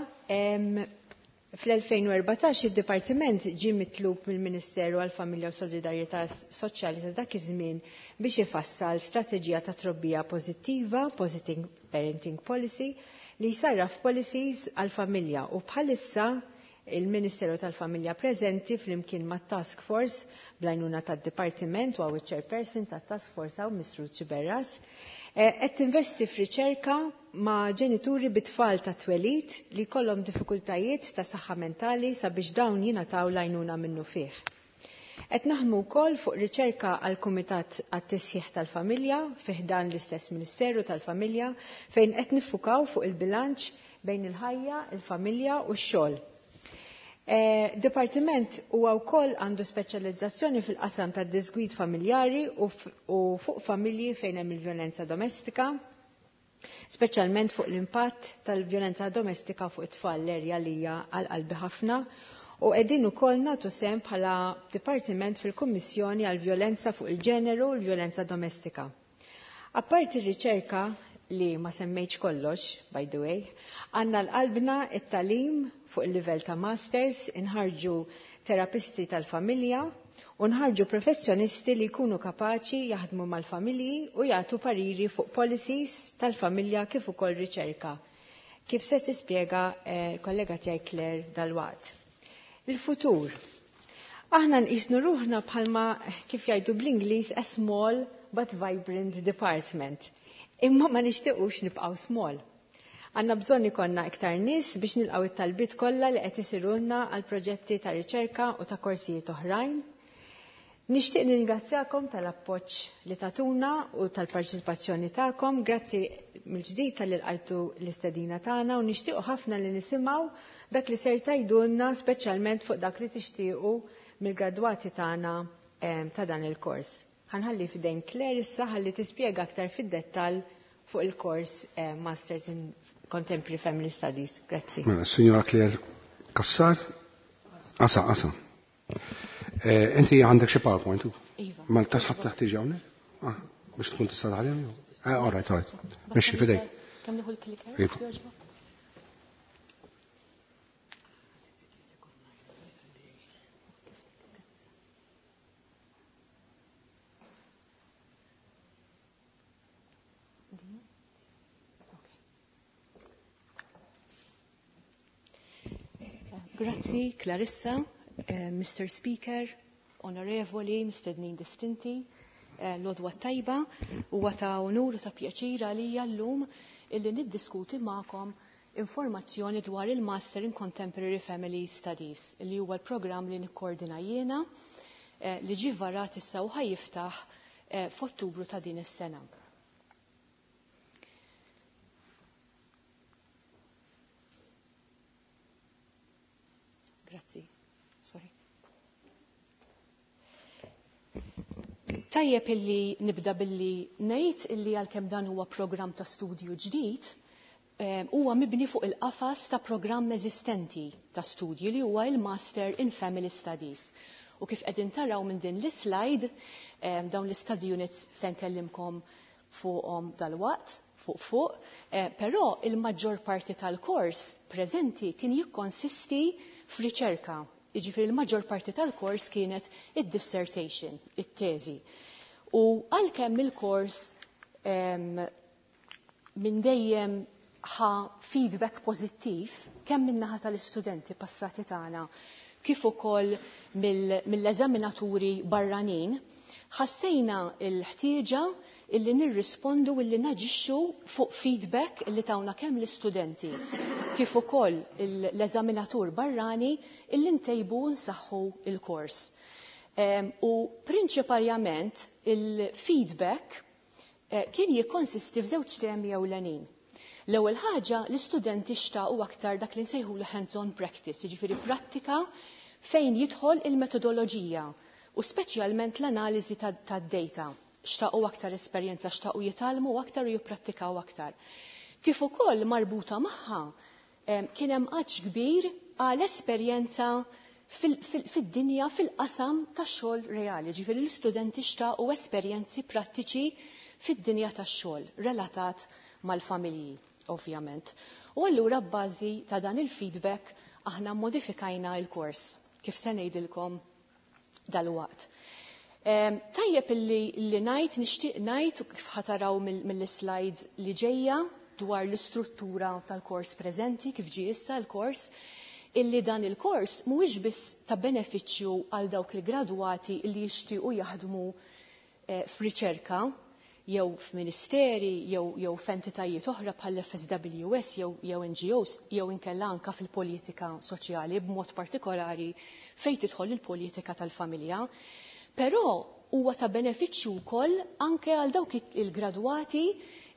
Fl-elfejn u erbatax id-Dipartiment ġie mitlub mill-Ministeru għall-Familja u Solidarjetà Soċjali ta' dak iż-żmien biex ifassal strateġija ta' trobbija pożittiva, Positive Parenting Policy, li jsarraf policies għall-familja, u bħalissa il-Ministeru tal-Familja preżenti flimkien mat-Task Force bl-għajnuna tad-Dipartiment u għaw il-Chairperson tat-Task Force għaw Mister Ċiberras, qed tinvesti f'riċerka ma' ġenituri bit-tfal ta' twelid li jkollhom diffikultajiet ta' saħħa mentali sabiex dawn jingħataw l-għajnuna minnu fih. Qed naħdmu wkoll fuq riċerka għal Kumitat għat-Tisħiħ tal-Familja fih dan l-istess Ministeru tal-Familja, fejn qed niffukaw fuq il-bilanċ bejn il-ħajja, il-familja u x-xogħol. Eh, Dipartiment huwa wkoll għandu speċjalizzazzjoni fil-qasam tad-disgwid familjari u fuq familji fejn hemm il-vjolenza domestika, speċjalment fuq l-impatt tal-vjolenza domestika fuq it-tfal, l-erja li hija għal qalbi ħafna, u qegħdin ukoll nagħtu sehem bħala dipartiment fil-Kummissjoni għall-Vjolenza fuq il-ġeneru u l-Vjolenza Domestika. Apparti r-riċerka, li ma semmejtx kollox, by the way, għandna l-qalbna it-talim fuq il-livell ta' masters, inħarġu terapisti tal-familja u nħarġu professjonisti li jkunu kapaċi jaħdmu mal-familji u jagħtu pariri fuq policies tal-familja kif ukoll riċerka. Kif se tispjega eh, kollega tiegħi Claire dalwaqt. Il-futur. Aħna nqisnu ruħna bħalma kif jgħidu bl-Ingliż a small but vibrant department. Imma ma nixtiequx nibqgħu small. Għandna bżonn ikollna iktar nies biex nilqgħu it-talbiet kollha li qed isirulna għal proġetti ta' riċerka u ta' korsijiet oħrajn. Nixtieq nirringrazzjakom tal-appoġġ li tatuna u tal-parċipazzjoni tagħkom. Grazzi mill-ġdid talli lqajtu l-istedina tagħna u nixtiequ ħafna li nisimgħu dak li ser tgħidulna speċjalment fuq dak li tixtiequ mill-gradwati tagħna ta' dan il-kors. Ħa nħalli f'idejn Claire issa ħalli tispjega aktar fid-dettall fuq il-kors Masters in Contemporary Family Studies. Grazzi. Mela, Signora Claire Cassar. Asa, asa. Inti għandek xi PowerPoint? Iva. Ma tasħab taħt tiġi hawnhekk? Ah, biex tkun tista' taħdem jew? Ah, all right, all right. Mexxi f'idejk. Kemm nieħu l-clicker? Iva. Grazzi, Clarissa, uh, Mister Speaker, onorevoli, mistednin distinti, uh, l-għodwa tajba, u ta' onur u ta' pjaċir għalija l-lum illi niddiskuti magħkom informazzjoni dwar il-Master in Contemporary Family Studies, li huwa l-programm li nikkoordina jiena, uh, li ġie varat issa u ħajjiftaħ uh, f'Ottubru ta' din is-sena. Grazzi. Sorry. Tajjeb illi nibda billi ngħid illi għalkemm dan huwa programm ta' studju ġdid, huwa mibni fuq il-qafas ta' programm eżistenti ta' studju li huwa il-Master in Family Studies. U kif qegħdin taraw minn din l-slide, dawn l-study units se nkellimkom fuqhom dalwaqt, fuq fuq, però il-maġġor parti tal-kors preżenti kien jikkonsisti f'riċerka. Jiġifieri il-maġġor parti tal-kors kienet id-dissertation, it-teżi. U għalkemm il-kors minn dejjem ħa feedback pożittiv kemm min-naħa tal-istudenti passati tagħna kif ukoll mill-eżaminaturi barranin, ħassejna l-ħtieġa illi nirrispondu illi naġixxu fuq feedback illi tawna kemm l-istudenti kif ukoll l-eżaminatur barrani illi ntejbu nsaħħu il-kors. U prinċipalment il-feedback kien jikkonsisti f'żewġ temi ewlenin. L-ewwel ħaġa l-istudenti xtaqu aktar dak li nsejħulu hands-on practice, jiġifieri prattika fejn jidħol il-metodoloġija u speċjalment l-analiżi tad-data. Xtaqu aktar esperjenza, xtaqu jitgħallmu aktar u jipprattikaw aktar. Kif ukoll marbuta magħha kien hemm għatx kbir għal esperjenza fid-dinja fil-qasam tax-xogħol reali, ġifieri l-istudenti xtaqu esperjenzi prattiċi fid-dinja tax-xogħol relatat mal-familji, ovvjament. U allura b'bażi ta' dan il-feedback aħna modifikajna l-kors kif se ngħidilkom dalwaqt. Tajjeb illi li ngħid, nixtieq ngħid kif ħataraw mill-slides li ġejja dwar l-istruttura tal-kors preżenti kif ġie issa l-kors, illi dan il-kors mhuwiex biss ta' benefiċċju għal dawk il-gradwati li jixtiequ jaħdmu f'riċerka jew f'ministeri jew jew f'entitajiet oħra bħal F S W S jew jew N G Os jew inkella anka fil-politika soċjali b'mod partikolari fejn tidħol il-politika tal-familja. Però huwa ta' benefiċċju wkoll anke għal dawk il-gradwati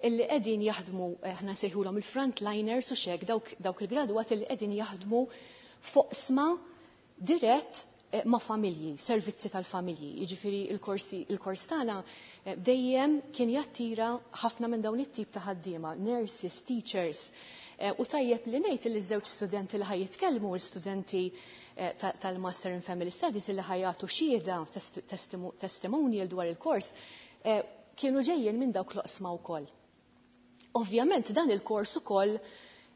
illi qegħdin jaħdmu, aħna nsejħulhom il-frontliners u xek, dawk, dawk il-gradwati li qegħdin jaħdmu foqsma dirett ma' familji, servizzi tal-familji. Jiġifieri il-korsi, il-kors tagħna dejjem kien jattira ħafna minn dawn it-tip ta' ħaddiema, nurses, teachers. U tajjeb li ngħid li ż-żewġ studenti li ħaj jitkellmu, l-studenti tal-Master in Family Studies li ħajatu xhieda testimonial dwar il-kors, kienu ġejjin minn dawk l-oqsma wkoll. Ovvjament dan il-kors ukoll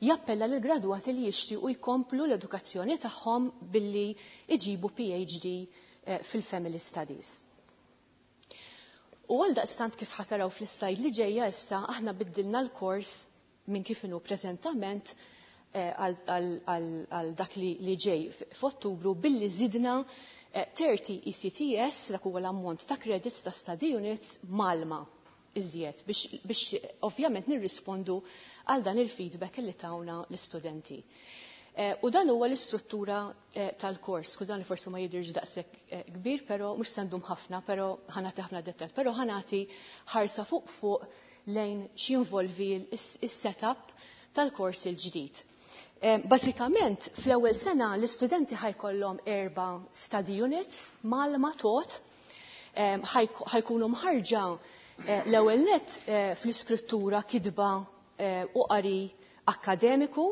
jappella lil gradwati li jixtiequ jkomplu l-edukazzjoni tagħhom billi iġibu P H D eh, fil-Family Studies. U għal daqstant, kif ħa taraw fl-islajd li ġejja issa, aħna biddilna l-kors minn kif inhu preżentament eh, għal dak li ġej f'Ottubru billi zidna tletin eh, E C T S, dak huwa l-ammont ta' credits ta' study units mgħallma iżjed biex, biex ovvjament nirrispondu għal dan il-feedback li tawna l-istudenti. Eh, u dan huwa l-istruttura eh, tal-kors. Skużani, forsi ma jidirx daqshekk eh, kbir, però mhux se ndum ħafna, però ħa nagħti ħafna dettal, però ħa nagħti ħarsa fuq fuq lejn x'jinvolvi is-setup tal-kors il-ġdid. Basikament, fl-ewwel sena l-istudenti ħa jkollhom erba' study units mgħallma tot, ħa jkunu mħarrġa l-ewwel net fl-iskrittura, kitba u qari akademiku.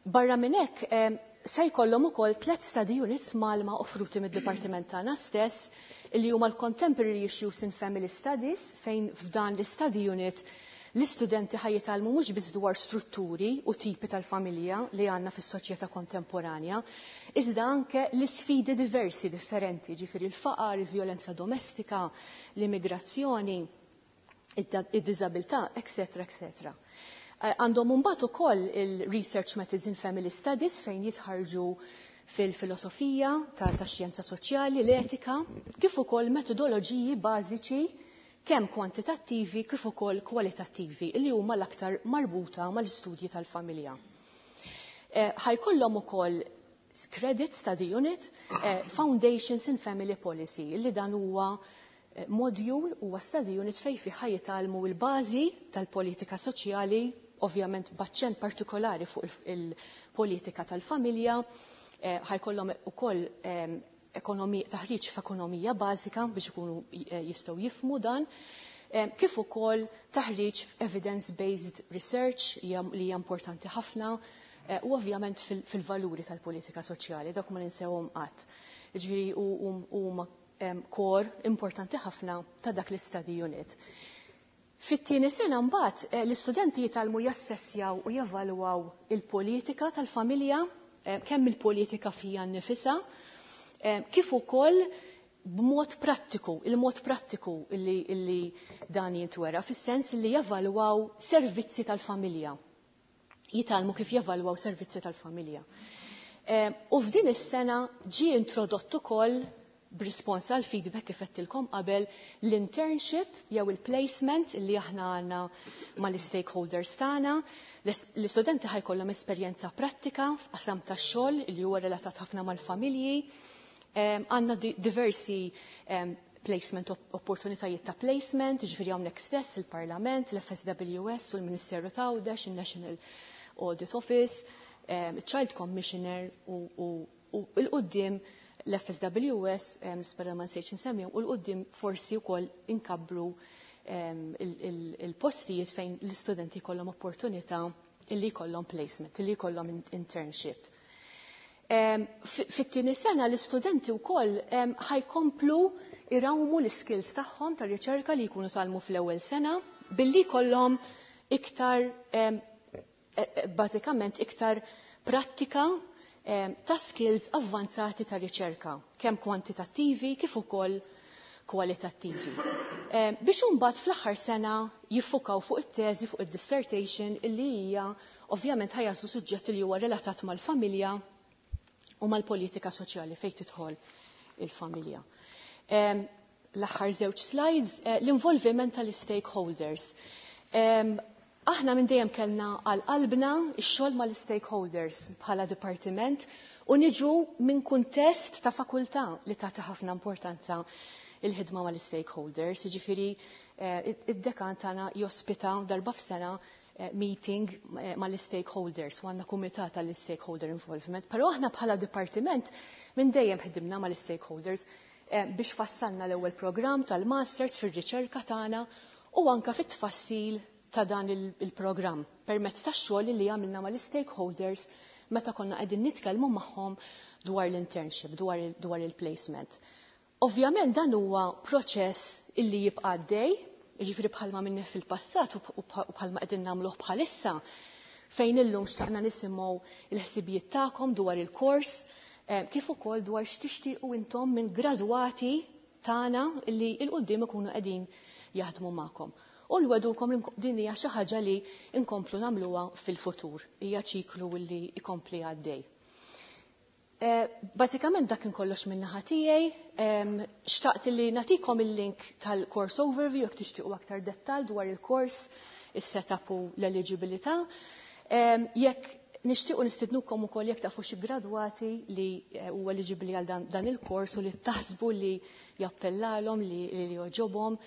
Barra minn hekk, se jkollhom ukoll tliet study units mgħallma offruti mid-dipartiment tagħna stess, li huma l-Contemporary Issues in Family Studies, fejn f'dan l-study unit l-istudenti ħa jitgħallmu mhux biss dwar strutturi u tipi tal-familja li għandna fis-soċjetà kontemporanja, iżda anke l-isfidi diversi differenti, ġifieri l-faqar, il-vjolenza domestika, l-immigrazzjoni, id-diżabilità, eccetera, eccetera. Eh, għandhom mbagħad ukoll il-Research Methods in Family Studies, fejn jitħarġu fil-filosofija ta' xjenza soċjali, l-etika, kif ukoll metodoloġiji bażiċi kemm kwantitattivi kif ukoll kwalitattivi li huma l-aktar marbuta mal-istudji tal-familja. Eh, ħa jkollhom ukoll credit study unit eh, Foundations in Family Policy, li dan huwa module, huwa study unit fejn fi ħa jitgħallmu l-bażi tal-politika soċjali, ovvjament b'aċċent partikolari fuq il-politika tal-familja, eh, ħa jkollhom ukoll taħriġ f'ekonomija bażika biex ikunu eh, jistgħu jifhmu dan, kif ukoll taħriġ evidence-based research li hija importanti ħafna eh, u ovvjament fil-valuri tal-politika soċjali, dak ma ninsewhom qatt. Ġifieri huma core importanti ħafna ta' dak l-study unit. Fit-tieni sena mbagħad eh, l-istudenti jitgħallmu jassessjaw u jevalwaw il-politika tal-familja, eh, kemm il-politika fija nnifisha, eh, kif ukoll b'mod prattiku, il-mod prattiku illi, illi dan jintwera, fis-sens li jevalwaw servizzi tal-familja. Jitgħallmu kif jevalwaw servizzi tal-familja. U f'din is-sena ġie introdott ukoll, b'rispons għal feedback kif għedtilkom qabel, l-internship jew il-placement li aħna għandna mal-stakeholders tagħna. L-istudenti ħa jkollhom esperjenza prattika f'qasam tax-xogħol li huwa relatat ħafna mal-familji. Għandna diversi placement, opportunitajiet ta' placement, ġifieri hawnhekk stess, il-Parlament, l-F S W S u l-Ministeru ta' Għawdex, il-National Audit Office, Child Commissioner u 'l quddiem l-F S W S, nispera ma nsejtx nsemmi, u 'l quddiem forsi wkoll inkabbru il-postijiet fejn l-istudenti jkollhom opportunità illi jkollhom placement, illi jkollhom internship. Fit-tieni sena l-istudenti wkoll ħa jkomplu irawmu l-skills tagħhom tar-riċerka li jkunu tgħallmu fl-ewwel sena billi jkollhom iktar e, e, bażikament iktar prattika ta' skills avvanzati ta' riċerka, kemm kwantitattivi kif ukoll kwalitattivi. Biex imbagħad fl-aħħar sena jiffukaw fuq it-teżi, fuq id-dissertation, illi hija ovvjament ħa jagħżlu suġġett li huwa relatat mal-familja u mal-politika soċjali fejn tidħol il-familja. L-aħħar żewġ slides, eh, l-involviment tal-stakeholders. Aħna minn dejjem kellna għal qalbna ix-xogħol mal-stakeholders bħala dipartiment u niġu minn kuntest ta' fakultà li tagħti ħafna importanza il-ħidma mal-stakeholders, jiġifieri eh, id-dekan tagħna jospita darba f'sena eh, meeting eh, mal-stakeholders u għandna kumitat tal-stakeholder involvement. Però aħna bħala dipartiment minn dejjem ħdimna mal-stakeholders biex fassalna l-ewwel programm tal-masters fir-riċerka tagħna u anka fit-tfassil ta' dan il-programm permezz ta' xogħol li għamilna mal-stakeholders meta konna qegħdin nitkellmu magħhom dwar l-internship, dwar il-placement. Ovvjament dan huwa proċess illi jibqa' għaddej, Jiġifieri bħalma minni fil-passat u bħalma qegħdin nagħmluh bħalissa, fejn illum xtaqna nisimgħu il-ħsibijiet tagħkom dwar il-kors, kif ukoll dwar x'tixtiequ intom minn gradwati tagħna li 'l quddiem ikunu qegħdin jaħdmu magħkom. U nwegħdukom din hija xi ħaġa li nkomplu nagħmluha fil-futur. Hija ċiklu li jkompli għaddej. Bażikament dak kollox minn naħa tiegħi, xtaqt li nagħtikom il-link tal-course overview jekk tixtiequ aktar dettal dwar il-kors, is-setup u l-eligibilità. Jekk nixtiequ nistidnukom ukoll jekk tafu xi gradwati li huwa eligibbli għal dan, dan il-kors u li taħsbu li jappellalhom li, li jogħġobhom,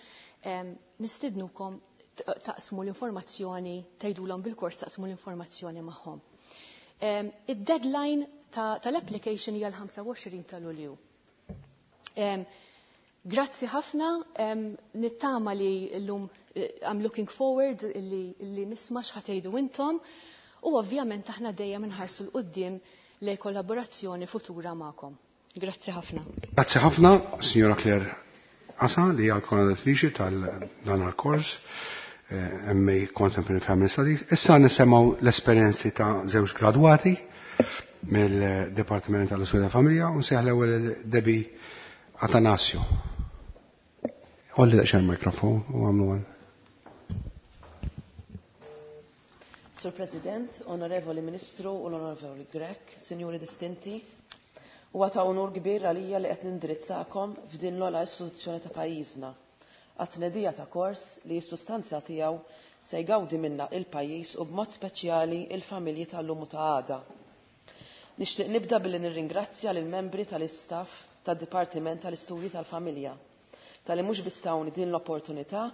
nistidnukom taqsmu l-informazzjoni, tgħidulhom bil-kors, taqsmu l-informazzjoni magħhom. Id-deadline tal-application hija l-ħamsa u għoxrin ta' Lulju. Grazzi ħafna, nittama li l-lum I'm looking forward li, li nisma' x'ħa tgħidu intom u ovvjament aħna dejjem inħarsu 'l quddiem lejn kollaborazzjoni futura magħkom. Grazzi ħafna. Grazzi ħafna, Signora Claire Asa, li hija l-koordinatriċi tal-dan il-kors M A Contemporary Family Studies. Issa nisimgħu l-esperjenzi ta' żewġ gradwati mill-Dipartiment tal-Istudju Familja u nsejjaħ l-ewwel Debbie Atanasio. Għolli daqsxejn il-mikrofon u għamlu għan. Sur President, Onorevoli Ministru u l-Onorevoli Grech, Sinjuri Distinti, huwa ta' onur kbir għalija li qed nindirizzakom f'din l-ogħla istituzzjoni ta' pajjiżna għat-tnedija ta' kors li s-sustanza tiegħu se jgawdi minna il-pajjiż u b'mod speċjali il-familji tal-lum u ta' għada. Nixtieq nibda billi nirringrazzja lill membri tal-istaff tad-Dipartiment tal-Istudji tal-Familja talli mhux biss tawni din l-opportunità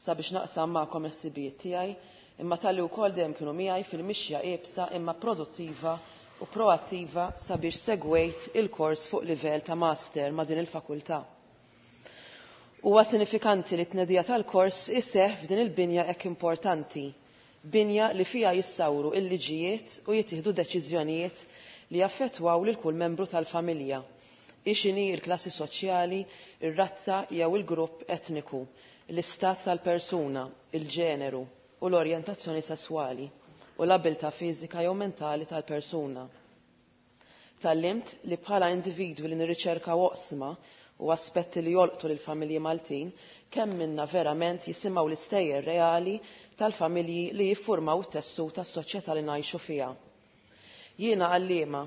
sabiex naqsam magħkom il-ħsibijiet tiegħi, imma talli wkoll dejjem kienu miegħi fil-mixja iebsa imma produttiva u proattiva sabiex segwejt il-kors fuq livell ta' master ma' din il-fakultà. Huwa sinifikanti li t-tnedija tal-kors iseħħ f'din il-binja hekk importanti, binja li fija jissawru il-liġijiet u jittieħdu deċiżjonijiet li jaffettwaw lil kull membru tal-familja, x'inhi il-klassi soċjali, ir-razza jew il-grupp etniku, l-istat tal-persuna, il-ġeneru u l-orjentazzjoni sesswali u l-abilità fiżika jew mentali tal-persuna. Tgħallimt li bħala individwi li nirriċerkaw oqsma u aspetti li jolqtu lil familji Maltin, kemm minna verament jisimgħu l-istejjer reali tal-familji li jiffurmaw it-tessut tas-soċjetà li ngħixu fiha. Jiena għalliema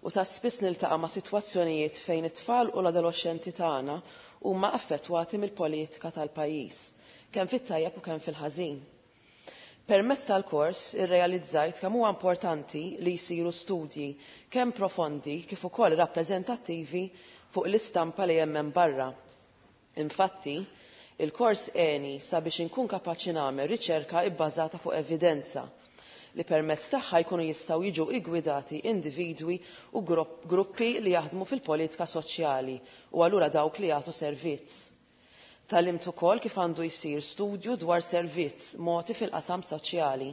u ta' spiss niltaqa' ma' sitwazzjonijiet fejn it-tfal u l-adolescenti tagħna huma affettwati mill-politika tal-pajjiż, kemm fit-tajjeb u kemm fil-ħażin. Permezz tal-kors irrealizzajt kemm huwa importanti li jsiru studji kemm profondi kif ukoll rappreżentattivi fuq l-istampa li hemm barra. Infatti, il-kors għeni sabiex inkun kapaċi nagħmel riċerka ibbażata fuq evidenza li permezz tagħha jkunu jistgħu jiġu iggwidati individwi u gruppi li jaħdmu fil-politika soċjali u allura dawk li jagħtu servizz. Tgħallimt ukoll kif għandu jsir studju dwar servizz mogħti fil-qasam soċjali.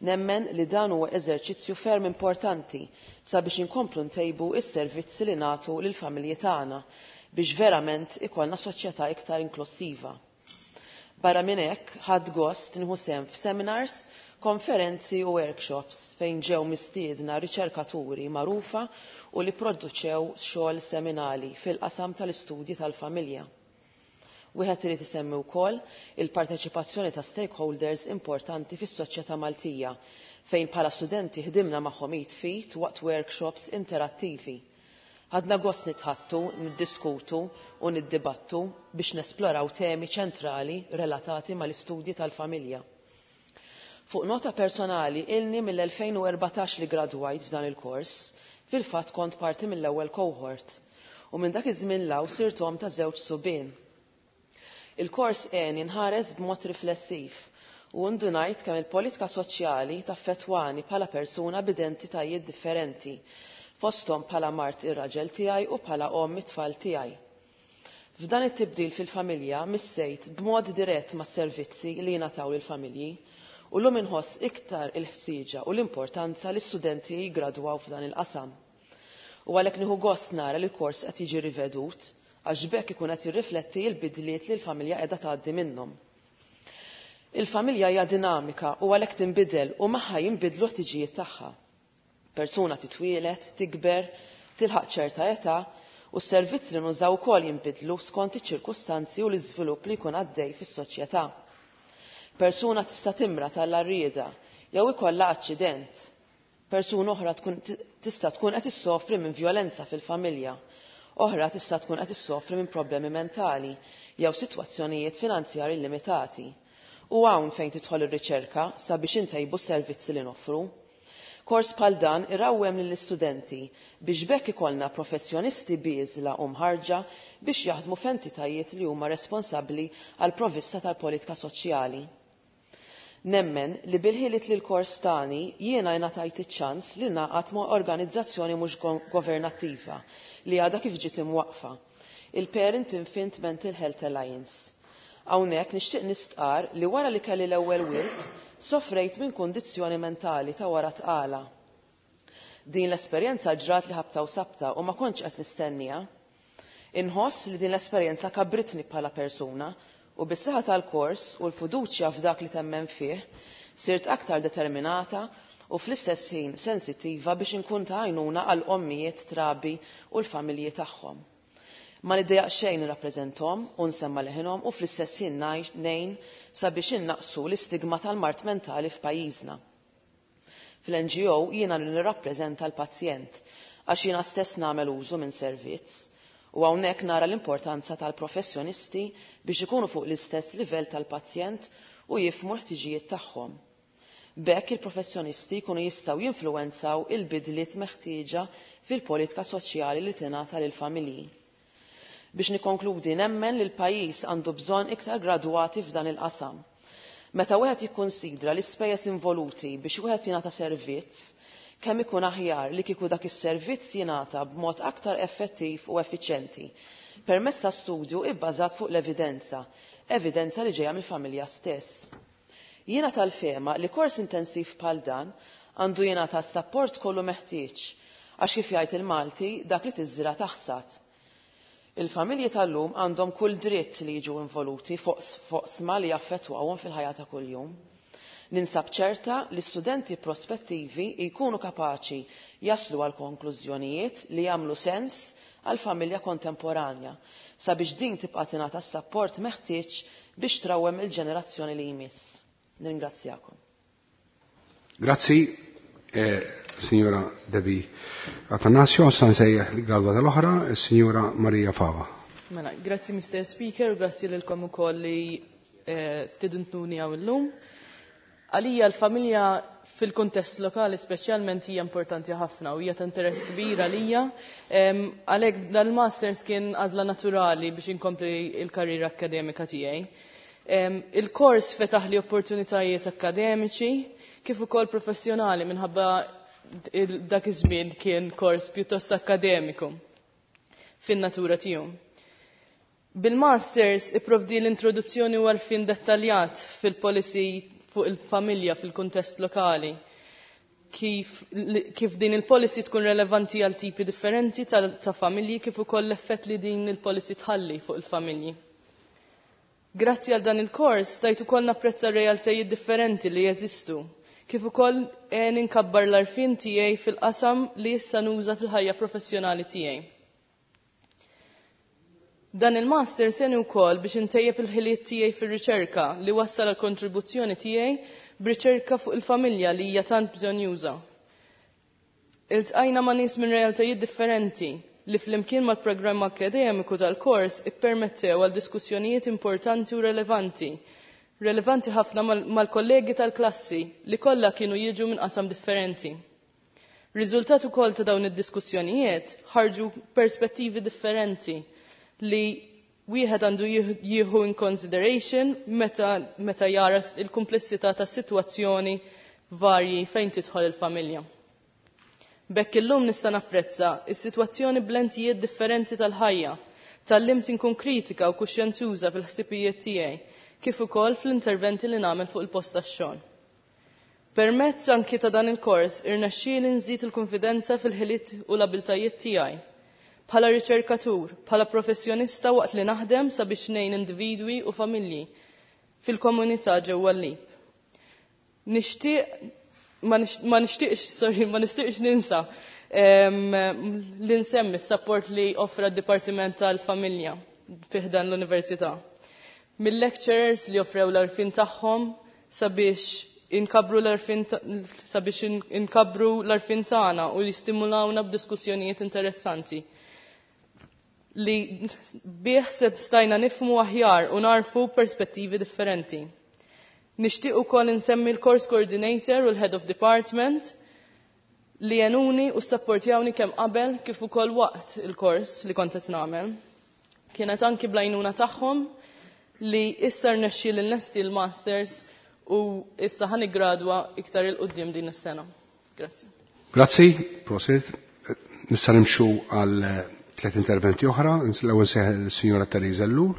Nemmen li dan huwa eżerċizzju ferm importanti sabiex inkomplu ntejbu is-servizzi li nagħtu lill-familji tagħna biex verament ikollna soċjetà iktar inklusiva. Barra minn hekk, ħadt gost nieħu sehem f'seminars, konferenzi u workshops fejn ġew mistiedna riċerkaturi magħrufa u li produċew xogħol seminali fil-qasam tal-istudji tal-familja. Wieħed irid isemmi wkoll il-parteċipazzjoni ta' stakeholders importanti fis-soċjetà Maltija fejn bħala studenti ħdimna magħhom id f'id waqt workshops interattivi. Ħadna gost nitħaddtu, niddiskutu u niddibattu biex nesploraw temi ċentrali relatati mal-istudji tal-familja. Fuq nota personali, ilni mill-elfejn u erbatax li gradwajt f'dan il-kors, fil-fatt kont parti mill-ewwel cohort. U minn dak iż-żmien 'l hawn sirt omm ta' żewġ subien. Il-kors għeni nħares b'mod riflessiv u ndunajt kemm il-politika soċjali taffettwani bħala persuna b'identitajiet differenti, fosthom bħala mart ir-raġel tiegħi u bħala omm it-tfal tiegħi. F'dan it-tibdil fil-familja missejt b'mod dirett mas-servizzi li jingħataw lill-familji u llum inħoss iktar il-ħtieġa u l-importanza li studenti jigradwaw f'dan il-qasam. U għalhekk nieħu gost nara li l-kors qed jiġi rivedut għax b'hekk ikun qed jirrifletti l-bidliet li l-familja qiegħda tgħaddi minnhom. Il-familja hija dinamika u għalhekk tinbidel u magħha jinbidlu ħtiġijiet tagħha. Persuna titwielet, tikber, tilħaq ċerta età u s-servizzi li nużaw ukoll jinbidlu skont iċ-ċirkustanzi u l-iżvilupp li jkun għaddej fis-soċjetà. Persuna tista' timra tal-arrieda jew ikollha aċċident. Persuna oħra tkun tista' tkun qed issofri minn vjolenza fil-familja. Oħra tista' tkun qed issofri minn problemi mentali jew sitwazzjonijiet finanzjarji limitati. U hawn fejn tidħol ir-riċerka sabiex intejbu s-servizzi li noffru. Kors bħal dan irawwem lill-istudenti biex b'hekk ikollna professjonisti bieżla u mħarġa biex jaħdmu f'entitajiet li huma responsabbli għal provvista tal-politika soċjali. Nemmen li bil-ħiliet li l-kors tani jiena ngħatajt iċ-ċans li naqgħad ma' organizzazzjoni mhux governattiva li għadha kif ġiet imwaqfa, il-Parent Infant Mental Health Alliance. Hawnhekk nixtieq nistqar li wara li kelli l-ewwel wild sofrejt minn kundizzjoni mentali ta' wara tqala. Din l-esperjenza ġrat li ħabta u sabta u ma kontx qed nistennija. Inħoss li din l-esperjenza kabritni bħala persuna u bis-saħħa tal-kors u l-fiduċja f'dak li temmen fih sirt aktar determinata u fl-istess ħin sensittiva biex inkun ta' għajnuna għal ommijiet trabi u l-familji tagħhom. Ma niddejjaq xejn nirrappreżenthom u nsemma leħinhom u fl-istess ħin ngħin sabiex innaqsu l-istigma tal-mard mentali f'pajjiżna. Fl-N G O jiena nirrappreżenta l-pazjent għax jiena stess nagħmel użu minn servizz u hawnhekk nara l-importanza tal-professjonisti biex ikunu fuq l-istess livell tal-pazjent u jifhmu l-ħtiġijiet tagħhom. B'hekk il-professjonisti jkunu jistgħu jinfluwenzaw il-bidliet meħtieġa fil-politika soċjali li tingħata lill-familji. Biex nikkonkludi, nemmen li l-pajjiż għandu bżonn iktar gradwati f'dan il-qasam. Meta wieħed jikkonsidra l-ispejjeż involuti biex wieħed jingħata servizz, kemm ikun aħjar li kieku dak is-servizz jingħata b'mod aktar effettiv u effiċjenti permezz ta' studju ibbażat fuq l-evidenza, evidenza li ġejja mill-familja stess. Jiena tal-fehma li kors intensiv bħal dan għandu jingħata s-sapport kollu meħtieġ għax kif jgħid il-Malti, dak li tiżra taħsad. Il-familji tal-lum għandhom kull dritt li jiġu involuti fuq oqsma li jaffettwawhom fil-ħajja ta' kuljum. Ninsab ċerta li studenti prospettivi jkunu kapaċi jaslu għal konklużjonijiet li jagħmlu sens għal familja kontemporanja sabiex din tibqa' tingħata s-sapport meħtieġ biex trawwem il-ġenerazzjoni li jmiss. Nirringrazzjakom. Grazzi, eh, signora Debbie Atanasio, sa nsejjaħ l-gradwata l-oħra, signora Maria Fava. Mela, grazzi Mister Speaker, grazzi lilkom ukoll li eh, stidentuni hawn illum. Għalija l-familja fil-kontest lokali speċjalment hija importanti ħafna u hija ta' interess kbir għalija. Għalhekk dal-masters kien għażla naturali biex inkompli il-karriera akademika tiegħi. Il-kors fetaħ li opportunitajiet akademiċi kif ukoll professjonali minħabba dak iż-żmien kien kors pjuttost akademiku fin-natura tiegħu. Bil-masters ipprovdi l-introduzzjoni u għarfien dettaljat fil-policy fuq il-familja fil-kuntest lokali. Kif, kif din il-policy tkun relevanti għal tipi differenti ta', ta familji, kif ukoll l-effett li din il-policy tħalli fuq il-familji. Grazzi għal dan il-kors stajt ukoll napprezza realtajiet differenti li jeżistu, kif ukoll għen inkabbar l-għarfien tiegħi fil-qasam li issa nuża fil-ħajja professjonali tiegħi. Dan il-master għeni wkoll biex intejjeb il-ħiliet tiegħi fir-riċerka li wassal għal kontribuzzjoni tiegħi b'riċerka fuq il-familja li hija tant bżonjuża. Iltqajna ma' nies minn realtajiet differenti li flimkien mal-programm akademiku tal-kors ippermettew għal diskussjonijiet importanti u relevanti, relevanti ħafna mal-kollegi tal-klassi li kollha kienu jiġu minn qasam differenti. Riżultat ukoll ta' dawn id-diskussjonijiet ħarġu perspettivi differenti li wieħed għandu jieħu in consideration meta, meta jara il-komplessità ta' sitwazzjoni varji fejn tidħol il-familja. B'hekk illum nista' napprezza is-sitwazzjoni b'lentijiet differenti tal-ħajja, tgħallimt inkun kritika u kuxjenzuża fil-ħsibijiet tiegħi, kif ukoll fl-interventi li nagħmel fuq il-post tax-xogħol. Permezz anki ta' dan il-kors irnexxieli nżid il-konfidenza fil-ħiliet u l-abiltajiet tiegħi. Bħala riċerkatur, bħala professjonista waqt li naħdem sabiex ngħin individwi u familji fil-komunità ġewwa l-L I P. Nixtieq ma nixtieqx, sorry, ma nixtieqx ninsa li nsemmi s-support li offra d-Dipartiment tal-Familja fi ħdan l-Università. Mill-lecturers li offrew l-għarfien tagħhom sabiex inkabru l-għarfien sabiex inkabru l-għarfien tagħna u jistimulawna b'diskussjonijiet interessanti li bih se stajna nifhmu aħjar u narfu perspettivi differenti. Nixtieq ukoll insemmi l-course coordinator u l-head of department li għenuni u sapportjawni kemm qabel kif ukoll waqt il-kors li kont qed nagħmel. Kienet anki bl-għajnuna tagħhom li issa rnexxieli nlesti l-masters u issa ħa niggradwa iktar 'il quddiem din is-sena. Grazzi. Grazzi, prosit. Nista' nimxu għal tliet interventi oħra. L-ewwel is-Sinjora Teresa Ellul,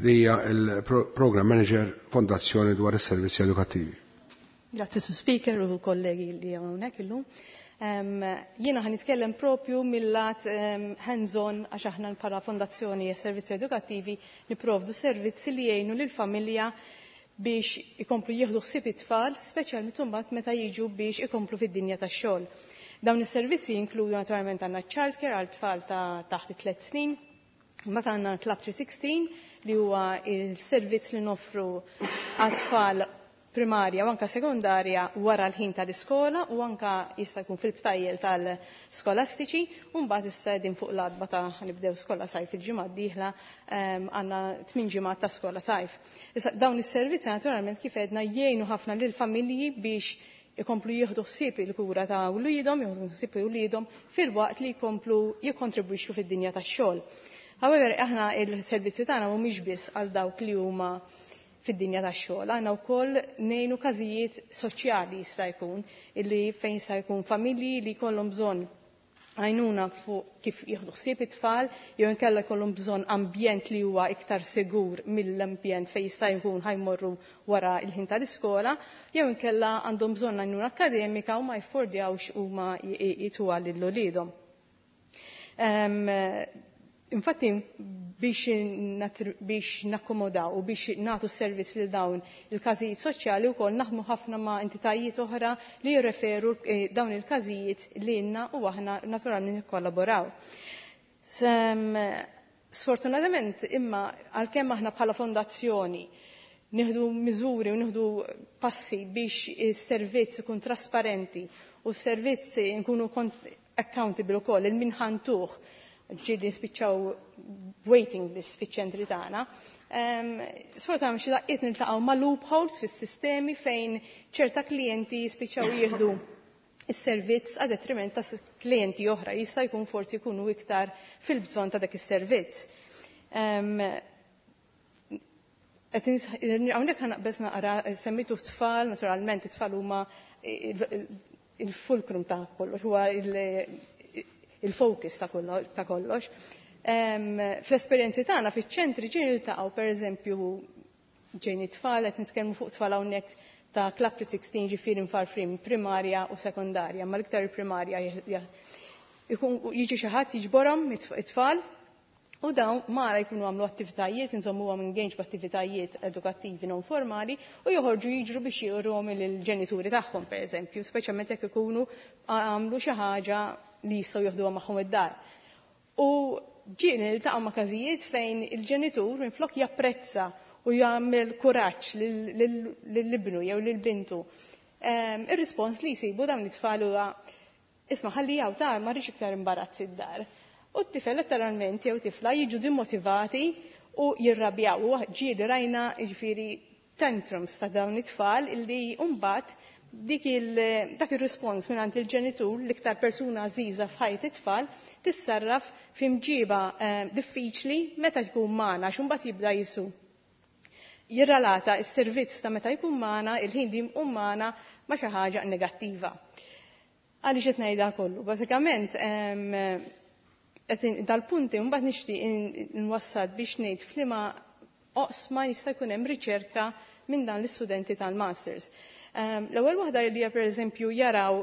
li hija il-Program Manager, Fondazzjoni dwar is-Servizzi Edukattivi. Grazzi, Sur Speaker u kollegi li hawnhekk illum. Um, jiena ħa nitkellem propju mill-lat um, hands-on, għax aħna bħala Fondazzjoni e Servizzi Edukattivi niprovdu servizzi li jgħinu lill-familja biex ikomplu jieħdu ħsieb it-tfal, speċjalment imbagħad meta jiġu biex ikomplu fid-dinja tax-xogħol. Dawn is-servizzi jinkludu, naturalment, għandna childcare għal tfal ta' taħt tliet snin, mbagħad għandna Club tliet mija u sittax li huwa il-servizz li noffru għat-tfal primarja u anka sekondarja wara l-ħin tal-iskola u anka jista' jkun fil-btajjel tal-skolastiċi. U mbagħad issa qegħdin fuq l-għatba ta' nibdew skola sajf il-ġimgħa d-dieħla, għandna tmien ġimgħat ta' skola sajf. Issa dawn is-servizzi, naturalment, kif għedna, jgħinu ħafna lil familji biex ikomplu jieħdu ħsieb il-kura ta' wliedhom, jieħdu ħsieb wliedhom filwaqt li jkomplu jikkontribwixxu fid-dinja tax-xogħol. However, aħna il-servizzi tagħna mhumiex biss għal dawk li huma fid-dinja tax-xogħol. Għandna wkoll ngħinu każijiet soċjali, jista' jkun illi fejn jista' jkun familji li jkollhom bżonn għajnuna fuq kif jieħdu ħsieb it-tfal jew inkella jkollhom bżonn ambjent li huwa iktar sigur mill-ambjent fejn jista' jkun ħa jmorru wara il-ħin tal-iskola, jew inkella għandhom bżonn għajnuna akademika u ma jaffordjawx huma jtuha lil uliedhom. Infatti biex, biex nakkomodaw u biex nagħtu servizz lil dawn il-każijiet soċjali wkoll naħdmu ħafna ma' entitajiet oħra li jirreferu eh, dawn il-każijiet lilna u aħna naturalment nikkollaboraw. Sfortunatament imma, għalkemm aħna bħala fondazzjoni nieħdu miżuri u nieħdu passi biex is-servizz ikun trasparenti u s-servizz nkunu accountable ukoll lil min ħa ntuh, ġieli nispiċċaw waiting list fiċ-ċentri tagħna. Sfortunatament xi daqqiet niltaqgħu ma' loopholes fis-sistemi fejn ċerta klijenti jispiċċaw jieħdu is-servizz a detriment ta' klijenti oħra jista' jkun forsi jkunu iktar fil-bżonn ta' dak is-servizz. Hawnhekk ħa naqbeż naqra, semmitu tfal, naturalment it-tfal huma il-fulcrum ta' kollox, huwa il-focus ta' kollox. Fl-esperjenzi tagħna fiċ-ċentri ġieli niltaqgħu, pereżempju, ġejni tfal, qed nitkellmu fuq tfal hawnhekk ta' Club tliet mija u sittax, ġifieri mfarfrin primarja u sekondarja, ma l-iktar primarja, jiġi xi ħadd jiġborhom it-tfal u dawn mara jkunu għamlu attivitajiet, insomma huwa engaged b'attivitajiet edukattivi non formali, u joħorġu jiġru biex juruhom il-ġenituri tagħhom, pereżempju, speċjalment jekk ikunu għamlu xi ħaġa li jistgħu joħduha magħhom id-dar. U ġieli niltaqgħu ma' każijiet fejn il-ġenitur minflok japprezza u jagħmel kuraġġ lil ibnu jew lil bintu, ir-rispons li jsibu dawn it-tfal huwa: "Isma', ħalli hawn ta', ma rridx iktar imbarazz id-dar." U t-tifel letteralment jew tifla jiġu dimmotivati u jirrabjaw. U ġieli rajna, ġifieri, tantrums ta' dawn it-tfal illi mbagħad dik il, dak il-respons minn il-ġenitur, l-iktar persuna għażiża f'ħajt it-tfal, tissarraf f'imġiba eh, diffiċli meta jkun magħna, għax imbagħad jibda jisu jirrelata s-servizz ta' meta jkun magħna, il-ħin li jkun magħna, ma' xi ħaġa negattiva. Għaliex qed ngħidha kollu? Bażikament dal-punti mbagħad nixtieq nwassal biex ngħid f'liema oqsma jista' jkun hemm riċerka minn dan l-istudenti tal-masters. L-ewwel waħda li hija, pereżempju, jaraw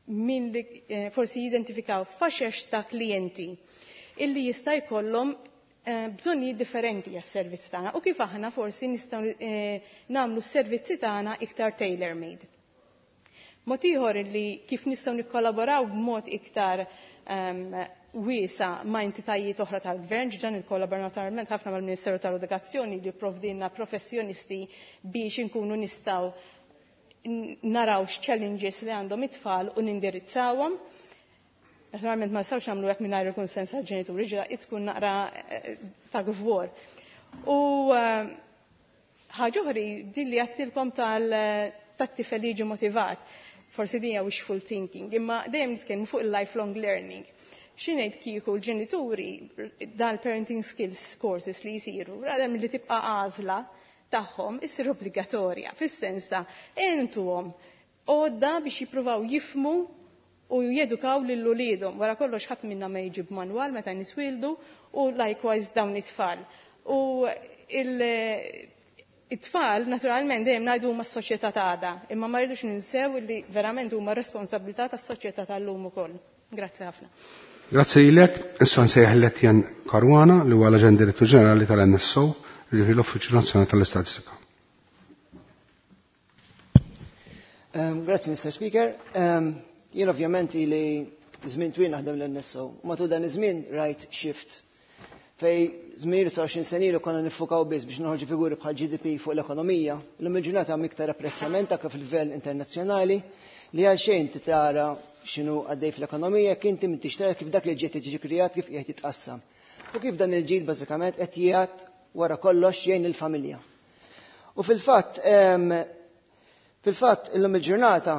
min li eh, forsi jidentifikaw faxex ta' klijenti illi jista' jkollhom eh, bżonnijiet differenti għas-servizz tagħna u kif aħna forsi nistgħu eh, nagħmlu s-servizzi tagħna iktar tailor-made. Mod ieħor li kif nistgħu nikkollaboraw b'mod iktar um, wiesa ma' entitajiet oħra tal-gvern, ġa nikkollaboraw naturalment ħafna mal-Ministeru tal-Edukazzjoni li jipprovdilna professjonisti biex inkunu nistgħu naraw x-challenges li għandhom it-tfal u nindirizzawhom. Naturalment ma nistgħux nagħmlu hekk mingħajr il-kunsens tal-ġenituri, ġa tkun naqra eh, ta' gvor. U eh, ħaġa oħra din li għedtilkom tal-tifel li jiġi motivat, forsi din hija wishful thinking, imma dejjem nitkellmu fuq il-lifelong learning. X'ingħid kieku l-ġenituri dan parenting skills courses li jisiru, rather milli tibqa' għażla tagħhom issir obbligatorja, fis-sens ta' intuhom għodda biex jippruvaw jifhmu u jedukaw lil uliedhom. Wara kollox ħadd minna ma jiġi b'manwal meta nitwieldu u likewise dawn it-tfal. U it-tfal naturalment dejjem ngħidu huma s-soċjetà tagħna, imma ma rridux ninsew li verament huma responsabilità tas-soċjetà tal-lum ukoll. Grazzi ħafna. Grazzi lilek, issa nsejjaħ lil Etienne Caruana li huwa l-Aġent Direttur Ġenerali tal-N S O, ġifieri l-Uffiċċju Nazzjonali tal-Istatistika. Um, grazzi, Mister Speaker. Um, jien ovvjament li żmien twil naħdem l-N S O. Matul dan iż-żmien rajt shift fejn żmien għoxrin sena ilu konna niffukaw biss biex noħorġu figuri bħal G D P fuq l-ekonomija. Illum il-ġurnata hemm iktar apprezzament anke fil-livell internazzjonali li għal xejn tara x'inhu għaddej fl-ekonomija kien inti m'intix tara kif dak li ġiet jiġi krijat, kif qiegħed jitqassam. U kif dan il-ġid bażikament qed jgħat wara kollox jgħin il-familja. U fil-fatt fil-fatt illum il-ġurnata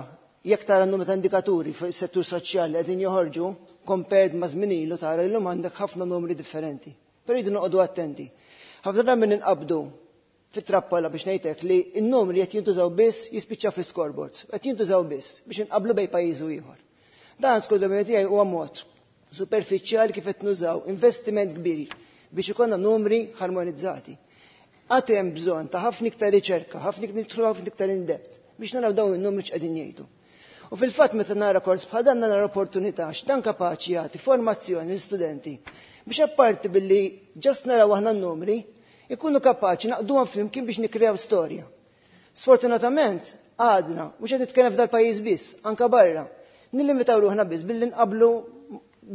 jekk tara n-numru ta' indikaturi fuq is-settur soċjali qegħdin joħorġu compared ma' żmien ilu, tara illum għandek ħafna numri differenti. Però jridu noqogħdu attenti. Ħafna drabi ninqabdu fit-trappola biex ngħidlek li n-numri qed jintużaw biss jispiċċaw fi scoreboards, qed jintużaw biss biex inqablu bejn pajjiż u ieħor. Dan skont tiegħi huwa mod superfiċjali kif qed nużaw investiment kbir biex ikollna numri harmonizzati. Għad hemm bżonn ta' ħafna iktar riċerka, ħafna nidħlu ħafna iktar in depth biex naraw dawn in-numri x'qegħdin jgħidu. U fil-fatt meta nara kors bħal dan nara opportunità x'dan kapaċi jagħti formazzjoni l-istudenti biex apparti billi just naraw aħna n-numri, ikunu kapaċi naqduhom flimkien biex nikrew storja. Sfortunatament, għadna, mhux qed nitkellem f'dal-pajjiż biss, anka barra, nillimitaw ruħna biss billi nqablu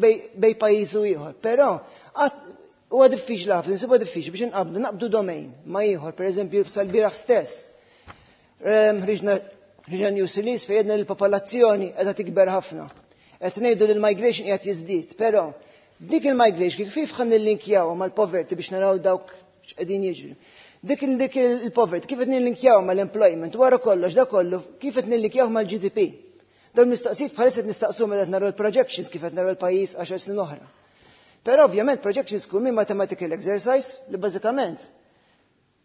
bejn pajjiż u ieħor. Però huwa diffiċli ħafna, nsibu diffiċli biex nqablu naqbdu domain ma ieħor, pereżempju sal-bieraħ stess. Ħriġna ħriġna news release fejn għedna l-popolazzjoni qiegħda tikber ħafna. Qed ngħidu li l-migration qiegħed jiżdied, però dik il-migration kif ħa nillinkjaw mal-poverty biex naraw dawk x'qegħdin jiġri. Dik dik il-poverty kif qed nillinkjaw mal-employment, wara kollox da kollu kif qed nillinkjaw mal-G D P. Dawn mistoqsijiet bħalissa qed nistaqsu meta qed naraw il-projections kif qed naraw il-pajjiż għaxar snin oħra. Però ovvjament projections tkun minn mathematical exercise li bażikament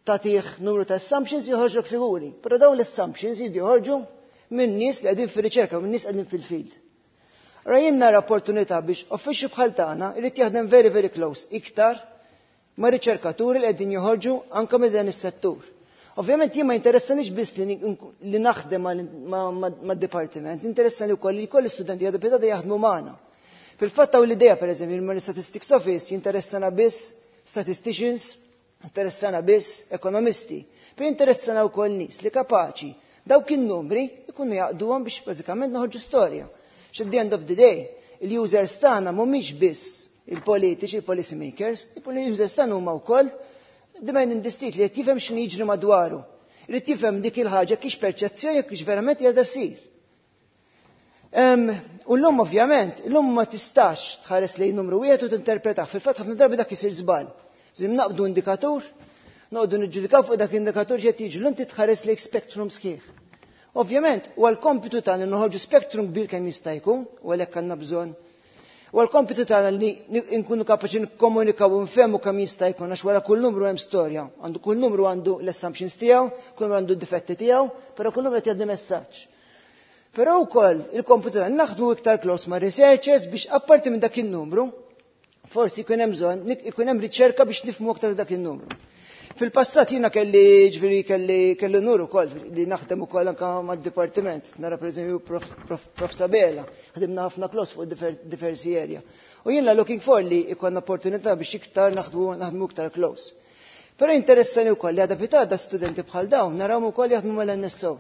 tagħtih numru ta' assumptions, joħorġu figuri. Però dawn l-assumptions jridu joħorġu minn nies li qegħdin fir-riċerka, minn nies qegħdin fil-field. Rajna nara opportunità biex uffiċċju bħal tagħna irid jaħdem very very close iktar ma' riċerkaturi li qegħdin joħorġu anke minn dan is-settur. Ovvjament jien ma jinteressanix biss li naħdem mad-dipartiment, interessani wkoll li jkoll istudenti jgħadu jaħdmu magħna. Fil-fatt hawn l-idea, pereżempju, il Statistics Office jinteressana biss statisticians, interessana biss ekonomisti, per interessana wkoll nies li kapaċi dawk in-numri ikunu jaqduhom biex bażikament noħorġu storja. At the end of the day, il-users tagħna mhumiex biss il-politiċi, il-policy makers, il-users tagħna huma wkoll the man in the street li qed jifhem x'inhu jiġri madwaru. Irid jifhem dik il-ħaġa kiex perċezzjoni, kiex verament qiegħda ssir. U l-lum ovvjament, l-lum ma tistax tħares lejn numru wieħed u tinterpretah. Fil-fatt ħafna drabi dak isir żball. Żim naqbdu indikatur, noqogħdu niġġudikaw fuq dak indikatur x'qed jiġri, l titħares lejn spektrum sħiħ. Ovvjament, huwa l-kompitu tagħna noħorġu spektrum kbir kemm jista' jkun, u għalhekk għandna bżonn. U l-kompitu tagħna li nkunu kapaċi nikkomunikaw u nfehmu kemm jista' jkun, għax wara kull numru hemm storja. Għandu kull numru għandu l-assumptions tiegħu, kull numru għandu d-difetti tiegħu, però kull numru qed jgħaddi messaġġ. Però wkoll il-kompitu tagħna naħdmu iktar close ma' researchers biex apparti minn dak in-numru, forsi jkun hemm bżonn ikun hemm riċerka biex nifhmu aktar dak in-numru. Fil-passat jiena kelli ġifieri kelli kelli nur ukoll li naħdem ukoll anke mad-dipartiment, nara pereżempju prof, prof, prof Sabela, ħdimna ħafna close fuq difer, diversi area. U jiena looking for li jkollna opportunità biex iktar naħdmu naħdmu iktar close. Però interessani wkoll li għada pitgħada studenti bħal dawn narawhom ukoll jaħdmu mal-N S O.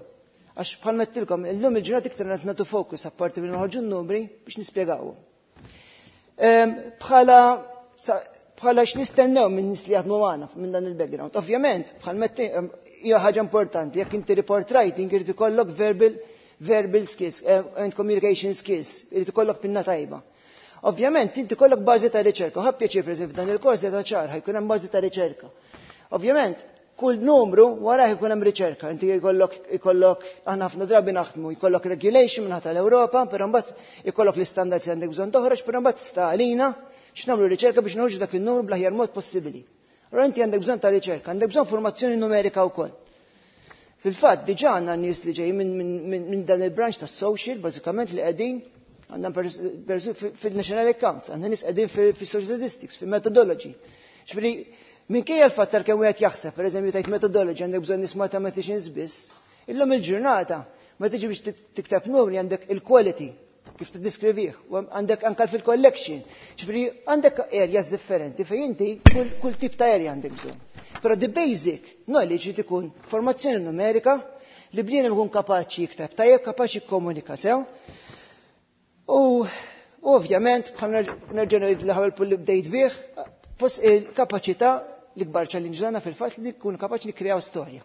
Għax bħal għedtilkom, illum il-ġurnata iktar qed nagħtu focus apparti minn noħorġu n-numri biex nispjegawhom. Bħala bħala x'nistennew minn nies li jaħdmu magħna minn dan il-background. Ovvjament, bħal hija ħaġa importanti, jekk inti report writing irid ikollok verbal verbal skills eh, and communication skills, irid ikollok pinna tajba. Ovvjament, inti kollok bażi ta' riċerka. Ħa pjaċir, per f'dan il-kors ta' ċar ħa jkun hemm bażi ta' riċerka. Ovvjament, kull numru wara jkun hemm riċerka. Inti jkollok jkollok aħna ħafna drabi naħdmu, jkollok regulation minn tal-Ewropa, però mbagħad jkollok l-istandards li għandek bżonn toħroġ, però mbagħad sta għalina x'nagħmlu riċerka biex noħorġu dak il-numru bl-aħjar mod possibbli. Allora inti għandek bżonn ta' riċerka, għandek bżonn formazzjoni numerika wkoll. Fil-fatt, diġà għandna nies li ġej minn min, min, min dan il-branch ta' social, bażikament li qegħdin għandna fil-National Accounts, għandna nies qegħdin fil-social statistics, fil-methodology. Ġifieri, minkejja l-fatt tal-kemm wieħed jaħseb, pereżempju tajt methodology għandek bżonn nies mathematicians biss, illum il-ġurnata ma tiġi biex tikteb numri għandek il-quality, kif tiddiskrivih, għandek anka fil-collection. Ġifieri għandek areas differenti fejn inti kull, kull tip ta' area għandek bżonn. Però the basic knowledge li ikun formazzjoni numerika li bniedem ikun kapaċi jikteb tajjeb, kapaċi jikkomunika sew. U ovvjament, bħal nerġa' ngħid l-ewwel punt li bdejt bih, il-kapaċità l-ikbar challenge tagħna fil-fatt li nkun kapaċi nikkreaw storja.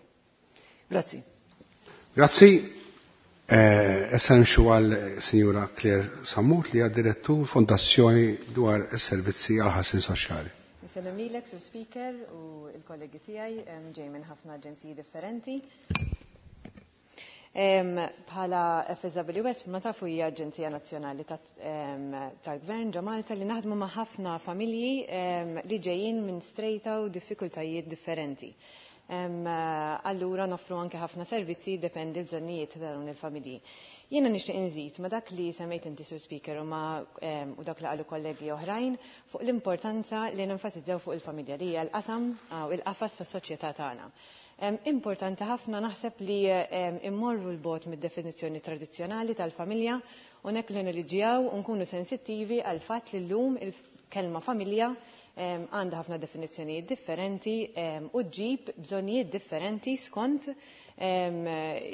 Grazzi. Grazzi. Eh, issa nimxu għal Sinjura Claire Sammut li hija direttur Fondazzjoni dwar is-Servizzi għal Ħarsien Soċjali. Insellem lilek, Sur Speaker, u il-kollegi tiegħi ġej minn ħafna aġenziji differenti. Bħala F S W S, ma tafu, hija Aġenzija Nazzjonali tal-Gvern ġo Malta li naħdmu ma' ħafna familji li ġejjin minn strejta u diffikultajiet differenti. Allura noffru anke ħafna servizzi, dependi l-bżonnijiet ta' dawn il-familji. Jiena nixtieq inżid ma' dak li semmejt inti, Sur Speaker, u ma' u dak li qalu kollegi oħrajn fuq l-importanza li nenfasizzaw fuq il-familja li hija l-qasam u il-qafas tas-soċjetà tagħna. Importanti ħafna naħseb li immorru 'l bogħod mid-definizzjoni tradizzjonali tal-familja u nek li neliġjaw u nkunu sensittivi għal fatt li llum il-kelma familja għandha ħafna definizzjonijiet differenti u ġġib bżonnijiet differenti skont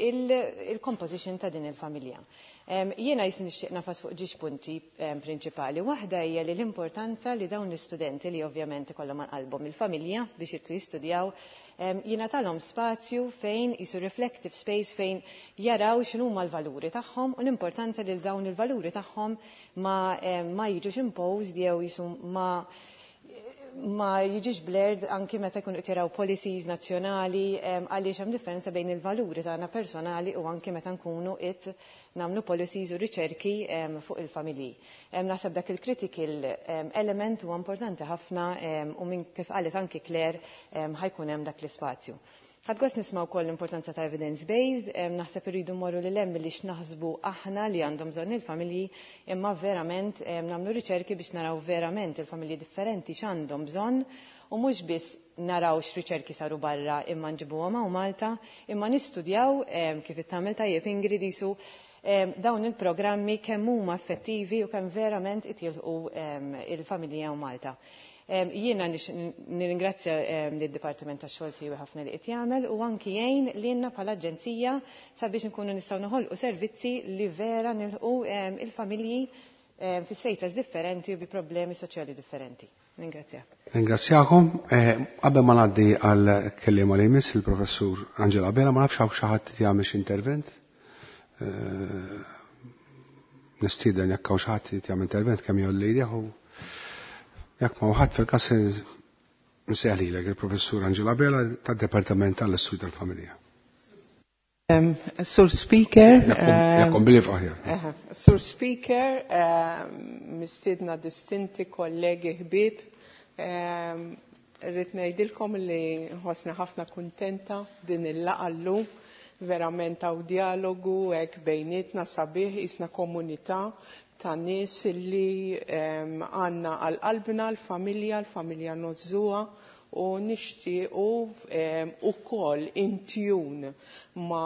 il-composition ta' din il-familja. Jiena jis nixtieq nagħfas fuq żewġ punti prinċipali. Waħda hija li l-importanza li dawn l-istudenti li ovvjament ikollhom qalbhom il-familja biex jitlu jistudjaw jingħatalhom spazju fejn jisu reflective space fejn jaraw x'inhuma l-valuri tagħhom u l-importanza li dawn il-valuri tagħhom ma, ma jiġux imposed jew jisu ma ma jiġix blurred anki meta jkunu qed jaraw policies nazzjonali, għaliex hemm differenza bejn il-valuri tagħna personali u anki meta nkunu qed nagħmlu policies u riċerki fuq il-familji. Naħseb dak il-critical element huwa importanti ħafna u minn kif qalet anki Claire ħa jkun hemm dak l-ispazju. Ħadt gost nisma' wkoll l-importanza ta' evidence-based, naħseb irridu mmorru lil hemm li x'naħsbu aħna li għandhom bżonn il-familji, imma verament nagħmlu riċerki biex naraw verament il-familji differenti x'għandhom bżonn u mhux biss naraw x'riċerki saru barra imma nġibuhom hawn Malta, imma nistudjaw kif tagħmel tajjeb Ingrid jisu dawn il-programmi kemm huma effettivi u kemm verament itilqu il-familji hawn Malta. Jiena nirringrazzja lid-Dipartiment tax-Xogħol siwi ħafna li qed jagħmel u anki jgħin lilna bħala aġenzija sabiex nkunu nistgħu noħolqu servizzi li vera nilħqu il-familji fi status differenti u bi problemi soċjali differenti. Ringrazzjak. Ringrazzjakom. Qabel ma ngħaddi għal kelliema li jmiss, il-Professur Angela Bela, ma nafx hawn xi ħadd jagħmel xi intervent. Nistieden jekk hawn xi ħadd jagħmel intervent kemm jgħolli idejh u jekk ma ħadd fil-każ nsejjaħ lilek il-Professur Angela Bela tad-Departament tal-Istudju tal-Familja. Um, Sur Speaker, Jakkom billi aħjar. Sur Speaker, um, mistiedna distinti, kollegi, ħbib, um, rrid ngħidilkom li nħossni ħafna kuntenta din il-laqgħa llum, verament hawn dialogu hekk bejnietna sabiħ, isna komunità ta' nies li għandna għal qalbna l-familja, l-familja ngħożżuha U nixtiequ ukoll in tune ma,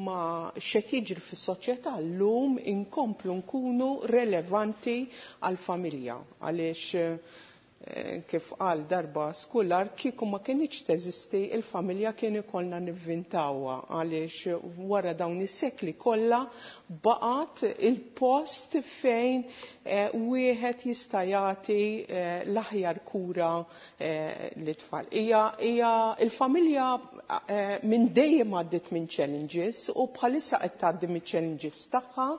ma x'qed jiġri fis-soċjetà llum inkomplu nkunu relevanti għall-familja għaliex kif qal darba skular kieku ma kinitx teżisti il-familja kien ikollna nivvintawha għaliex wara dawn is-sekli kollha baqgħet il-post fejn wieħed jista' jagħti l-aħjar kura lit-tfal. Hija hija il-familja minn dejjem għaddiet minn challenges u bħalissa qed tgħaddi mill-challenges tagħha.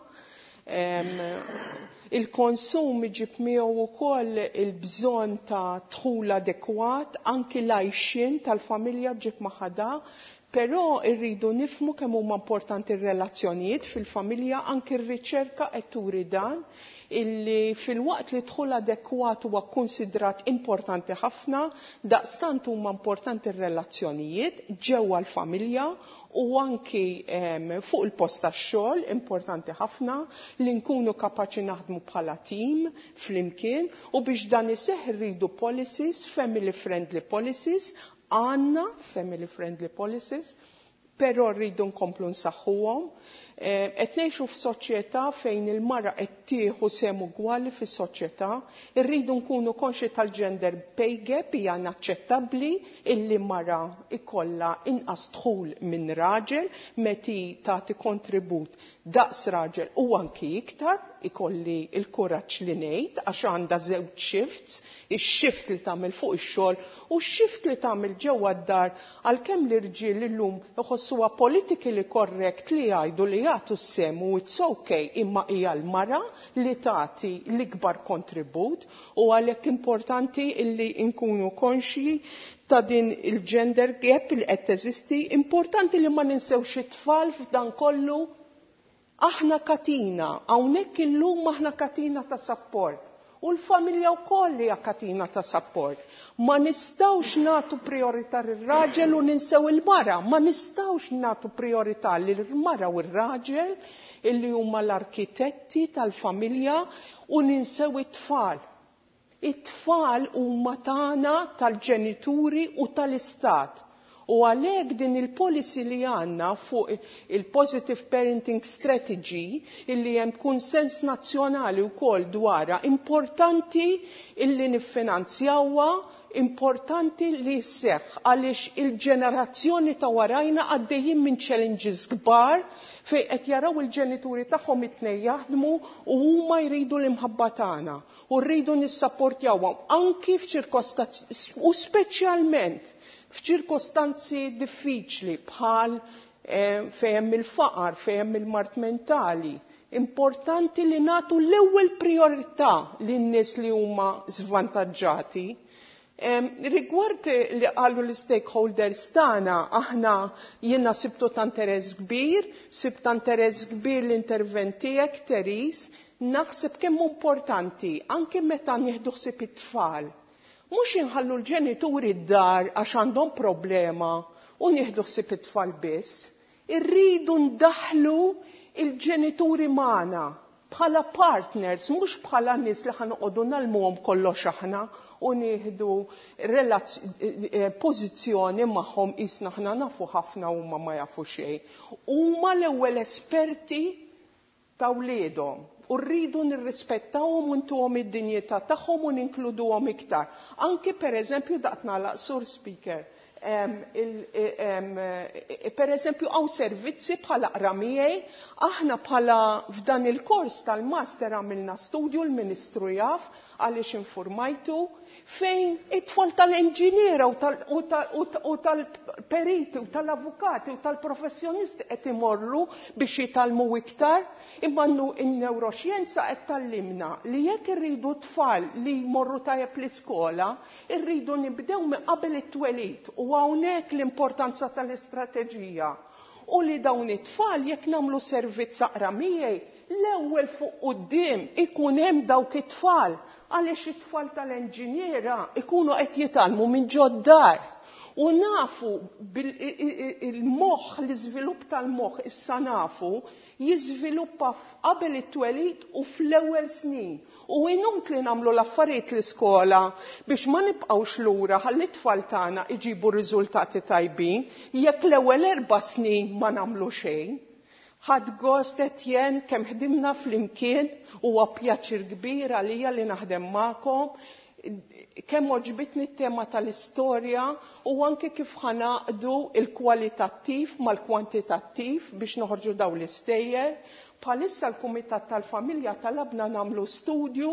Il-konsum iġib miegħu wkoll il-bżonn ta' dħul adekwat, anki l-għajxien tal-familja ġib magħha, però rridu nifhmu kemm huma importanti r-relazzjonijiet fil-familja, anki r-riċerka qed turi dan, illi fil-waqt li dħul adekwat huwa konsidrat importanti ħafna, daqstant huma importanti r-relazzjonijiet ġewwa l-familja u anki fuq il-post tax-xogħol importanti ħafna li nkunu kapaċi naħdmu bħala tim flimkien u biex dan iseħħ irridu policies, family friendly policies, għandna family friendly policies, però rridu nkomplu nsaħħuhom. Qed ngħixu f'soċjetà fejn il-mara qed tieħu sehem ugwali fis-soċjetà, irridu nkunu konxi tal-gender pay gap hija inaċċettabbli illi mara ikollha inqas dħul minn raġel meta tagħti kontribut daqs raġel u anki iktar, ikolli il-kuraġġ li ngħid għax għandha żewġ shifts, ix-shift li tagħmel fuq ix-xogħol u x-shift li tagħmel ġewwa d-dar għalkemm l-irġiel illum iħossuha politically correct li jgħidu li jagħtu s-sehem u it's okay imma hija l-mara li tagħti l-ikbar kontribut u għalhekk importanti illi nkunu konxji ta' din il-gender gap li qed teżisti, importanti li ma ninsewx it-tfal f'dan kollu. Aħna katina, hawnhekk illum aħna katina ta' support. U l-familja wkoll hija katina ta' support. Ma nistgħux nagħtu priorità lir-raġel u ninsew il-mara, ma nistgħux nagħtu priorità lill-mara u r-raġel illi huma l-arkitetti tal-familja u ninsew it-tfal. It-tfal huma tagħna tal-ġenituri u tal-istat. U għalhekk din il-policy li għandna fuq il-Positive Parenting Strategy illi hemm konsens nazzjonali wkoll dwarha, importanti illi niffinanzjawha, importanti li sseħħ għaliex il-ġenerazzjoni ta' warajna għaddejjin minn challenges kbar fejn qed jaraw il-ġenituri tagħhom it-tnejn jaħdmu u huma jridu l-imħabba tagħna u rridu nissapportjawhom anki f'ċirkostanzi u speċjalment f'ċirkostanzi diffiċli bħal fejn hemm il-faqar, fejn hemm il-mard mentali. Importanti li nagħtu l-ewwel priorità lin-nies li huma żvantaġġati. Rigward li qalu l-stakeholders tagħna, aħna jiena sibtu ta' interess kbir, sibt ta' interess kbir l-intervent tiegħek, Therese, naħseb kemm importanti anke meta nieħdu ħsieb it-tfal. Mhux inħallu l-ġenituri d-dar għax għandhom problema u nieħdu ħsieb it-tfal biss. Irridu ndaħlu il-ġenituri magħna bħala partners, mhux bħala nies li ħa noqogħdu ngħallmuhom kollox aħna u nieħdu pożizzjoni magħhom qisna aħna nafu ħafna huma ma jafu xejn. Huma l-ewwel esperti ta' wliedhom. U rridu nirrispettawhom u ntuhom id-dinjità tagħhom u ninkluduhom iktar. Anki per eżempju daqt nagħlaq Sur Speaker, per eżempju hawn servizzi bħala Aqra Miegħi, aħna bħala f'dan il-kors tal-master għamilna studju l-Ministru jaf għaliex informajtu fejn it-tfal tal-inġiniera u tal-periti u tal-avukati u tal-professjonisti qed imorru biex jitgħallmu iktar, imma n-neuroxjenza qed tgħallimna li jekk irridu tfal li jmorru tajjeb l-iskola, irridu nibdew minn qabel it-twelid u hawnhekk l-importanza tal-istrateġija. U li dawn it-tfal jekk nagħmlu servizz Aqra Miegħi, l-ewwel fuq quddiem ikun hemm dawk it-tfal. Għaliex it-tfal tal-enġiniera ikunu qed jitgħallmu minn ġod-dar. U nafu il-moħħ, l-iżvilupp tal-moħħ issa nafu jiżviluppa qabel it-twelid u fl-ewwel snin. U inutli nagħmlu l-affarijiet l-iskola biex ma nibqgħux lura ħalli t-tfal tagħna iġibu riżultati tajbin jekk l-ewwel erba' snin ma nagħmlu xejn. Ħadt gost, Etienne, kemm ħdimna flimkien, huwa pjaċir kbir għalija li naħdem magħkom. Kemm għoġbitni t-tema tal-istorja u anke kif ħa ngħaqqdu il-kwalitattiv mal-kwantitattiv biex noħorġu daw l-istejjer. Bħalissa l-Kumitat tal-Familja talabna nagħmlu studju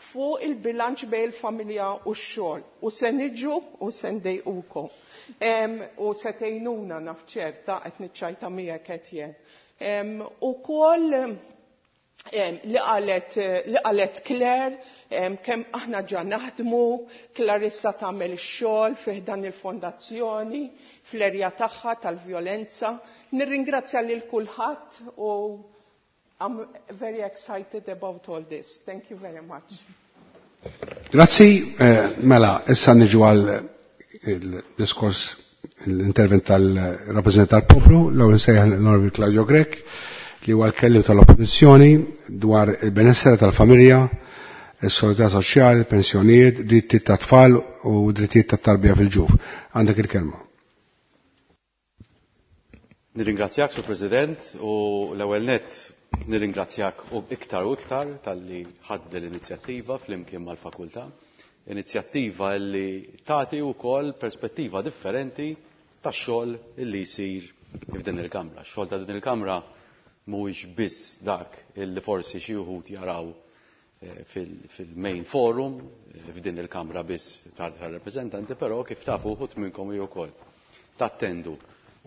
fuq il-bilanċ bejn il-familja u x-xogħol. U se niġu u se ndejqukom. U se tgħinuna, naf ċerta, qed niċċajta miegħek, Etienne. Ukoll li qalet li qalet Claire, kemm aħna ġa naħdmu, Clarissa tagħmel ix-xogħol fih dan il-fondazzjoni fl-erja tagħha tal-vjolenza. Nirringrazzja lil kulħadd u I'm very excited about all this. Thank you very much. Grazzi, eh, mela, issa niġu għal il-diskors, l-intervent tal-rappresentant tal-poplu, l-ewwel nsejjaħ l-Onorevoli Claudio Grech, li huwa l-kelliem tal-Oppożizzjoni dwar il-benessere tal-familja, is-solidarità soċjali, pensjonijiet, drittijiet tat-tfal u drittijiet tat-tarbija fil-ġuf. Għandek il-kelma. Nirringrazzjak, Sur President, u l-ewwel nett nirringrazzjak u iktar u iktar talli ħadt l-inizjattiva flimkien mal-fakultà. Inizjattiva li tagħti wkoll perspettiva differenti tax-xogħol illi jsir f'din il-Kamra. X-xogħol ta' din il-Kamra mhuwiex biss dak illi forsi xi wħud jaraw eh, fil-main forum eh, f'din il-Kamra biss tal-rappreżentanti, però kif tafu wħud minnkom ukoll tattendu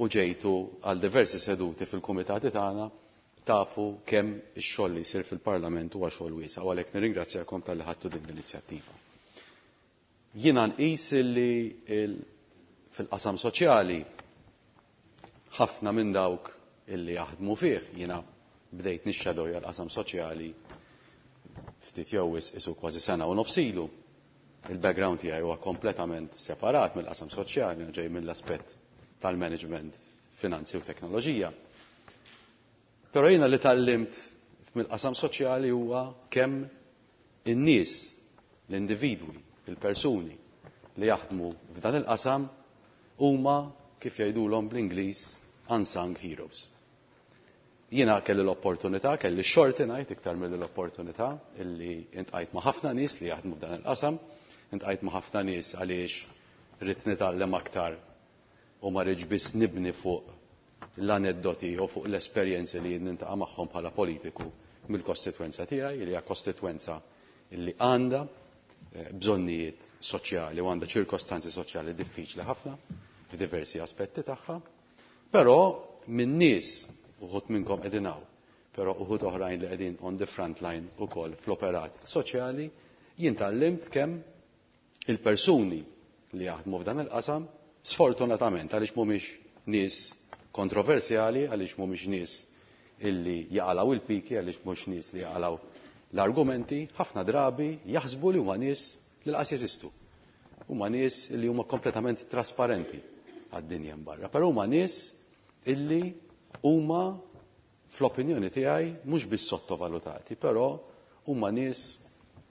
u ġejtu għal diversi seduti fil-kumitati tagħna, tafu kemm ix-xogħol li jsir fil-Parlament huwa xogħol wiesa', u għalhekk nirringrazzjakom talli ħadtu din l-inizjattiva. Jiena nqis li fil-qasam soċjali ħafna minn dawk illi jaħdmu fih, jiena bdejt nixxadowja l-qasam soċjali ftit jew isu kważi sena u nofs ilu. Il-background tiegħi huwa kompletament separat mill-qasam soċjali, ġej mill-aspett tal-management, finanzi u teknoloġija. Però jiena li tgħallimt mill-qasam soċjali huwa kemm in-nies, l-individwi, il-persuni li jaħdmu f'dan il-qasam huma, kif jgħidulhom bl-Ingliż, unsung heroes. Jiena kelli l-opportunità, kelli xorti ngħid iktar mill l-opportunità illi iltqajt ma' ħafna nies li jaħdmu f'dan il-qasam, iltqajt ma' ħafna nies għaliex ridt nitgħallem aktar u ma rridx biss nibni fuq l-aneddoti u fuq l-esperjenzi li niltaqa' magħhom bħala politiku mill-kostitwenza tiegħi, li hija kostitwenza li għandha eh, bżonnijiet soċjali u għandha ċirkostanzi soċjali diffiċli ħafna f'diversi aspetti tagħha. Però minn nies, uħud minnkom qegħdin hawn, però uħud oħrajn li qegħdin on the front line ukoll fl-operat soċjali, jien tgħallimt kemm il-persuni li jaħdmu f'dan il-qasam, sfortunatament, għaliex mhumiex nies kontroversjali, għaliex mhumiex nies illi jaqalgħu il-piki, għaliex mhux nies li jaqalgħu l-argumenti, ħafna drabi jaħsbu li huma nies li lanqas jeżistu. Huma nies li huma kompletament trasparenti għad-dinja barra. Però huma nies illi huma, fl-opinjoni tiegħi, mhux biss sottovalutati, però huma nies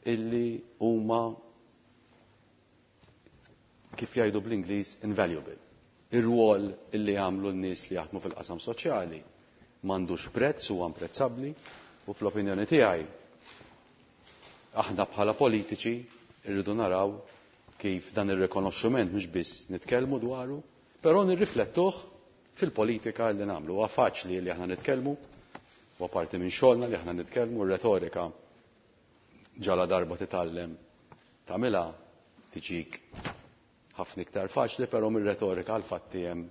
illi huma, kif jgħidu bl-Ingliż, invaluable. Ir-rwol illi jagħmlu n-nies li jaħdmu fil-qasam soċjali m'għandux prezz, huwa imprezzabbli, u fl-opinjoni tiegħi aħna bħala politiċi rridu naraw kif dan ir-rikonoxximent mhux biss nitkellmu dwaru, però nirriflettuh fil-politika li nagħmlu. Huwa faċli li aħna nitkellmu, huwa parti minn xogħolna li aħna nitkellmu, retorika ġala darba titgħallem tagħmilha tiġik ħafna iktar faċli, però mir-retorika għal fatti hemm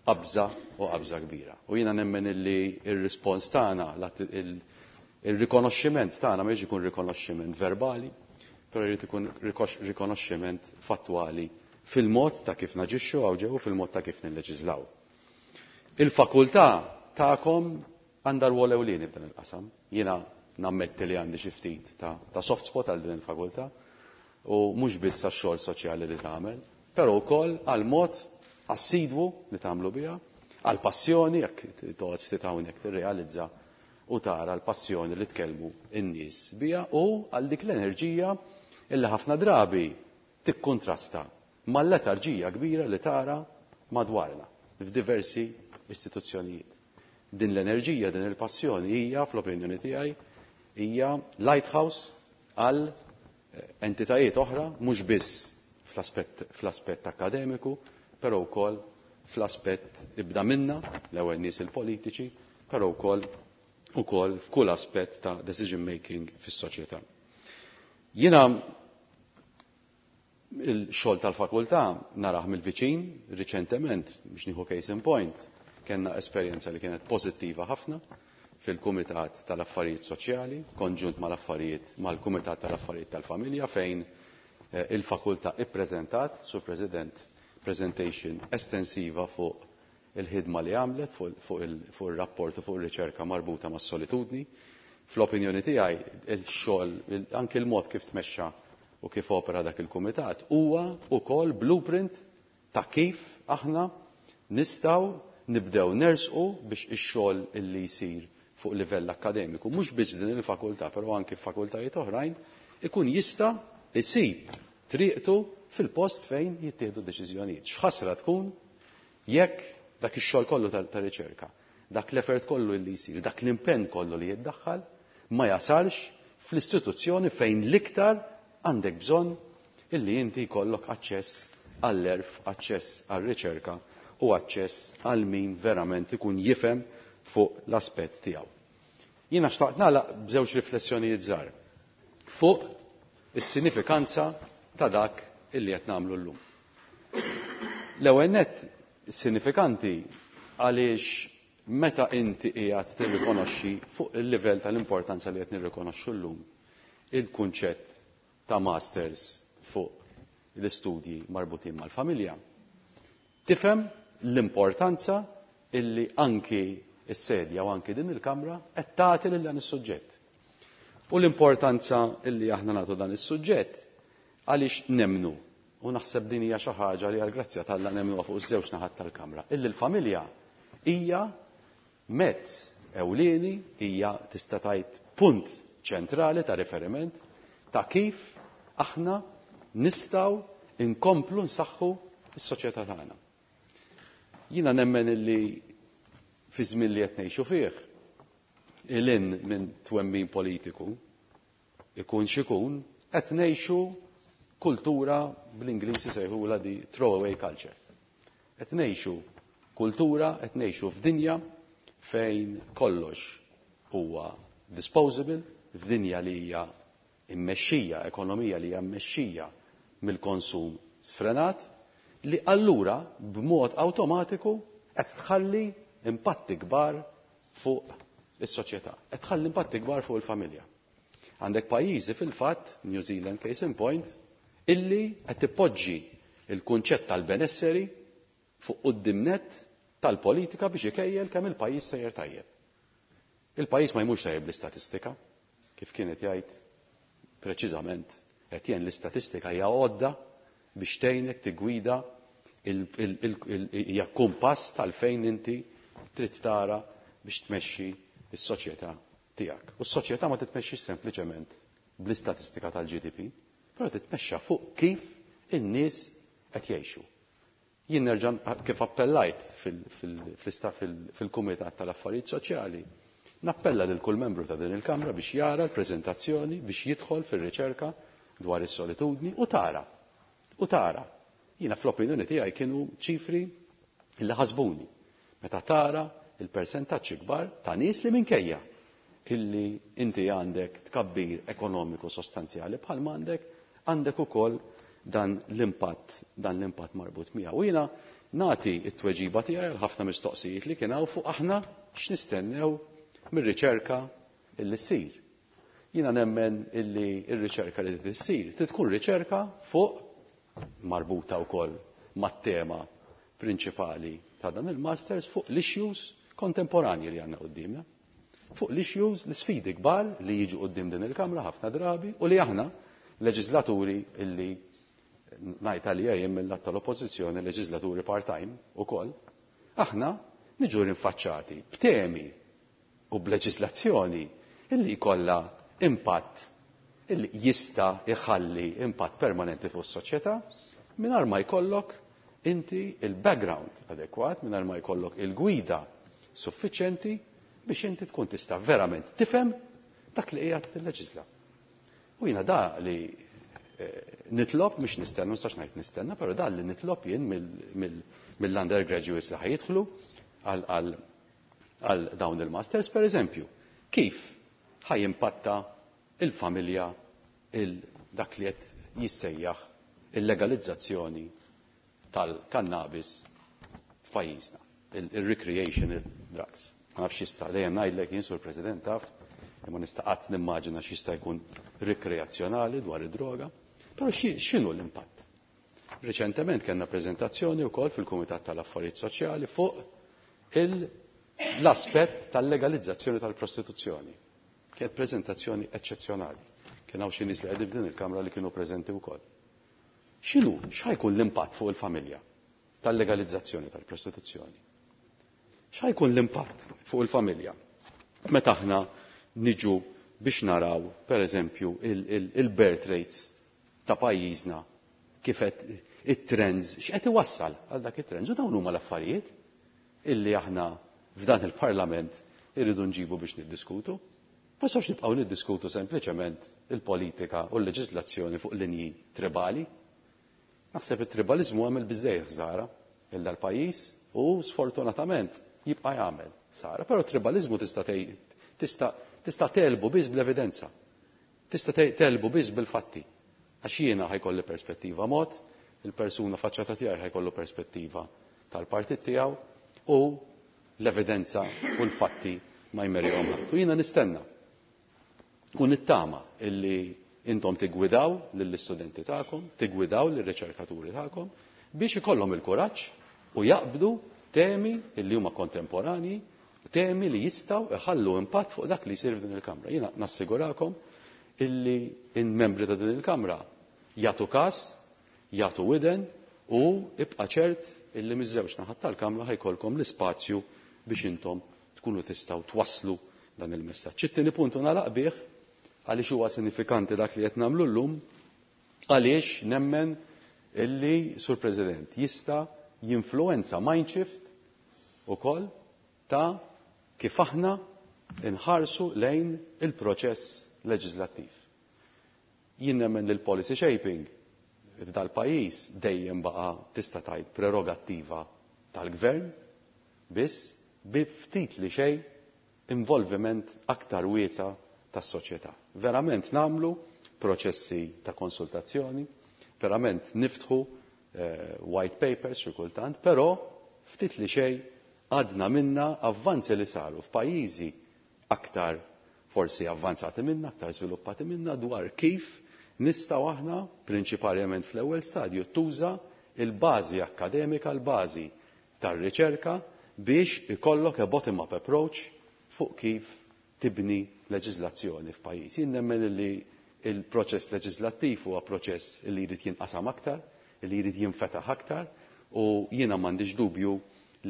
qabża u qabża kbira. U jiena nemmen illi ir-rispons tagħna, il-rikonoxximent tagħna ma ikun rikonoxximent verbali, però jrid ikun rikonoxximent fattwali fil-mod ta' kif naġixxu hawn ġew, fil-mod ta' kif nilleġislaw. Il-fakultà tagħkom għandha rwol ewlieni f'dan il-qasam. Jiena Nammetti li għandi xi ftit ta', ta soft spot għal din il-fakultà u mhux biss għax-xogħol soċjali li tagħmel, però wkoll għal mod assidwu li tagħmlu biha, għal passjoni jekk toqgħod ftit hawnhekk tirrealizza u tara l-passjoni li tkellmu n-nies biha u għal dik l-enerġija illi ħafna drabi tikkontrasta mal-letarġija kbira li tara madwarna f'diversi istituzzjonijiet. Din l-enerġija, din il-passjoni hija, fl-opinjoni tiegħi, hija lighthouse għal entitajiet oħra, mhux biss fl-aspett akademiku, però wkoll fl-aspett ibda minna, l-ewwel nies il-politiċi, però wkoll ukoll f'kull aspett ta' decision making fis-soċjetà. Jiena il-xogħol tal-fakultà narah mill-viċin riċentement, biex nieħu case in point, kellna esperjenza li kienet pożittiva ħafna fil-Kumitat tal-Affarijiet Soċjali, konġunt mal-affarijiet mal-Kumitat tal-Affarijiet tal-Familja, fejn il-fakultà ippreżentat, Sur President, presentation estensiva fuq il-ħidma li għamlet, fuq il-rapport u fuq il-riċerka marbuta mas-solitudni. Fl-opinjoni tiegħi il-xogħol, anke il-mod kif tmexxa u kif opera dak il-kumitat huwa wkoll blueprint ta' kif aħna nistgħu nibdew nersqu biex ix-xogħol illi jsir fuq livell akademiku, mhux biss f'din il-fakultà, però anke f'fakultajiet oħrajn, ikun jista' isib triqtu fil-post fejn jittieħdu deċiżjonijiet. X'ħasra tkun jekk dak ix-xogħol kollu ta' riċerka, dak l-effort kollu li jsir, dak l-impenn kollu li jiddaħħal ma jasalx fl-istituzzjoni fejn l-iktar għandek bżonn illi inti jkollok aċċess għall-erf, aċċess għall-riċerka u aċċess għal min verament ikun jifhem fuq l-aspett tiegħu. Jiena xtaqt nagħlaq b'żewġ riflessjonijiet żgħar fuq is-sinifikanza ta' dak illi qed nagħmlu llum. L-ewwel nett sinifikanti għaliex meta inti qiegħed tirrikonoxxi fuq il-livell tal-importanza li qed nirrikonoxxu llum il-kunċett ta' masters fuq l-istudji marbutin mal-familja, tifhem l-importanza illi anki s-sedja u anki din il-kamra qed tagħti lil dan is-suġġett. U l-importanza illi aħna nagħtu dan is-suġġett għaliex nemnu, u naħseb din hija xi ħaġa li għall-grazzja t'Alla nemnuha fuq iż-żewġ naħat tal-kamra, illi l-familja hija mezz ewlieni, hija tista' tgħid punt ċentrali ta' riferiment ta' kif aħna nistgħu inkomplu nsaħħu s-soċjetà tagħna. Jiena nemmen illi fi żmien li qed ngħixu fih, ilin minn twemmin politiku, ikun x'ikun, qed ngħixu kultura bl-Ingliż isejħulha di throwaway culture. Qed ngħixu kultura, qed ngħixu f'dinja fejn kollox huwa disposable, f'dinja li hija immexxija, ekonomija li hija mmexxija mill-konsum sfrenat, li allura b'mod awtomatiku qed tħalli impatti kbar fuq is-soċjetà, qed tħalli impatti kbar fuq il-familja. Għandek pajjiżi fil-fatt, New Zealand case in point, illi qed tippoġġi il-kunċett tal-benesseri fuq quddiem nett tal-politika biex ikejjel kemm il-pajjiż sejjer tajjeb. Il-pajjiż ma jmurx tajjeb l-istatistika, kif kienet jgħid preċiżament Etienne, l-istatistika hija għodda biex tgħinek tiggwida hija kumpass tal-fejn inti trid tara biex tmexxi s-soċjetà tiegħek. U s-soċjetà ma titmexxix sempliċement bl-istatistika tal-G D P, però titmexxa fuq kif in-nies qed jgħixu. Jien nerġa' kif appellajt fil-Kumitat tal-Affarijiet Soċjali, nappella lil kull membru ta' din il-Kamra biex jara l-preżentazzjoni, biex jidħol fir-riċerka dwar is-solitudni u tara. U tara. Jiena fl-opinjoni tiegħi kienu ċifri li ħasbuni. Meta tara il-persentaġġ kbar ta' nies li minkejja illi inti għandek tkabbir ekonomiku sostanzjali bħal m'għandek, għandek ukoll dan l-impatt, dan l-impatt marbut miegħu. U jiena nagħti t-tweġiba tiegħi għal ħafna mistoqsijiet li kien hawn fuq aħna x'nistennew mir-riċerka illi ssir. Jiena nemmen illi r-riċerka li trid issir trid tkun riċerka fuq marbuta wkoll mat-tema prinċipali ta' dan il-masters fuq l-issues kontemporanji li għandna qudiemna. fuq l-issues, l-sfidi kbar li jiġu quddiem din il-Kamra ħafna drabi u li aħna leġislaturi illi ngħid għalija jien mill-lat tal-Oppożizzjoni leġislaturi part-time ukoll, aħna niġu rinfaċċati b'temi u b'leġislazzjoni illi jkollha impatt illi jista' jħalli impatt permanenti fuq is-soċjetà mingħajr ma jkollok inti il-background adekwat, mingħajr ma jkollok il-gwida suffiċjenti biex inti tkun tista' verament tifhem dak li qiegħed tilleġisla. U jiena da li nitlob, mhux nistenna, nistax ngħid nistenna, però da li nitlob jien mill-undergraduates li ħajidħlu għal dawn il-masters, per eżempju, kif ħajimpatta il-familja il dak li qed jissejjaħ il-legalizzazzjoni tal-kannabis f'pajjiżna, il-recreational drugs. Ma nafx jista' dejjem ngħidlek jien, Sur President, taf, imma nista' qatt nimmaġina x'jista' jkun rikreazzjonali dwar id-droga, però x'inhu l-impatt? Reċentement kellna preżentazzjoni wkoll fil-Kumitat tal-Affarijiet Soċjali fuq l-aspett tal-legalizzazzjoni tal-prostituzzjoni. Kienet preżentazzjoni eċċezzjonali. Kien hawn xi nies li qegħdin f'din il-Kamra li kienu preżenti wkoll. X'inhu, x'ħajkun l-impatt fuq il-familja tal-legalizzazzjoni tal-prostituzzjoni? X'ħajkun l-impatt fuq il-familja meta aħna niġu biex naraw, per eżempju, il-birth rates ta' pajjiżna, kif qed it-trends, x'qed iwassal għal dak it-trends, u dawn huma l-affarijiet illi aħna f'dan il-Parlament irridu nġibu biex niddiskutu. Ma nistgħux nibqgħu niddiskutu sempliċement il-politika u l-leġiżlazzjoni fuq linji tribali. Naħseb it-tribaliżmu għamel biżejjed ħsara lil dal-pajjiż u sfortunatament jibqa' jagħmel ħsara, però tribaliżmu tista' tista' tista' telbu biss bl-evidenza. Tista' telbu biss bil-fatti. Għax jiena ħajkolli perspettiva mod, il-persuna faċċata tiegħi ħajkollu perspettiva tal-partit tiegħu u l-evidenza u l-fatti ma jmerihom ħadd. U jiena nistenna u nittama illi intom tiggwidaw lill-istudenti tagħkom, tiggwidaw lir-riċerkaturi tagħkom biex ikollhom il-kuraġġ u jaqbdu temi illi huma kontemporani, temi li jistgħu iħallu impatt fuq dak li jsir f'din il-Kamra. Jiena nassigurakom illi il-membri ta' din il-Kamra jagħtu każ, jagħtu widen u ibqa' ċert illi miż-żewġ naħat tal-Kamra ħajkolkom l-ispazju biex intom tkunu tistgħu twasslu dan il-messaġġ. It-tieni punt nagħlaq bih għaliex huwa sinifikanti dak li qed nagħmlu llum, għaliex nemmen illi Sur President jista' jinfluwenza mindshift ukoll ta' kif aħna nħarsu lejn il-proċess leġislattiv. Jien nemmen li l-policy shaping f'dal-pajjiż dejjem baqa' tista' tgħid prerogattiva tal-gvern biss bi ftit li xejn involviment aktar wiesa' tas-soċjetà. Verament nagħmlu proċessi ta' konsultazzjoni, verament niftħu eh, white papers xi kultant, però ftit li xejn għadna minna avvanzi li saru f'pajjiżi aktar forsi avvanzati minna, aktar sviluppati minna dwar kif nistgħu aħna prinċipalment fl-ewwel stadju tuża il-bażi akkademika, l-bażi tar-riċerka biex ikollok a bottom-up approach fuq kif tibni leġiżlazzjoni f'pajjiż. Jien nemmen li il-proċess leġislattiv huwa proċess li jrid jinqasam aktar, li jrid jinfetaħ aktar, u jiena m'għandix dubju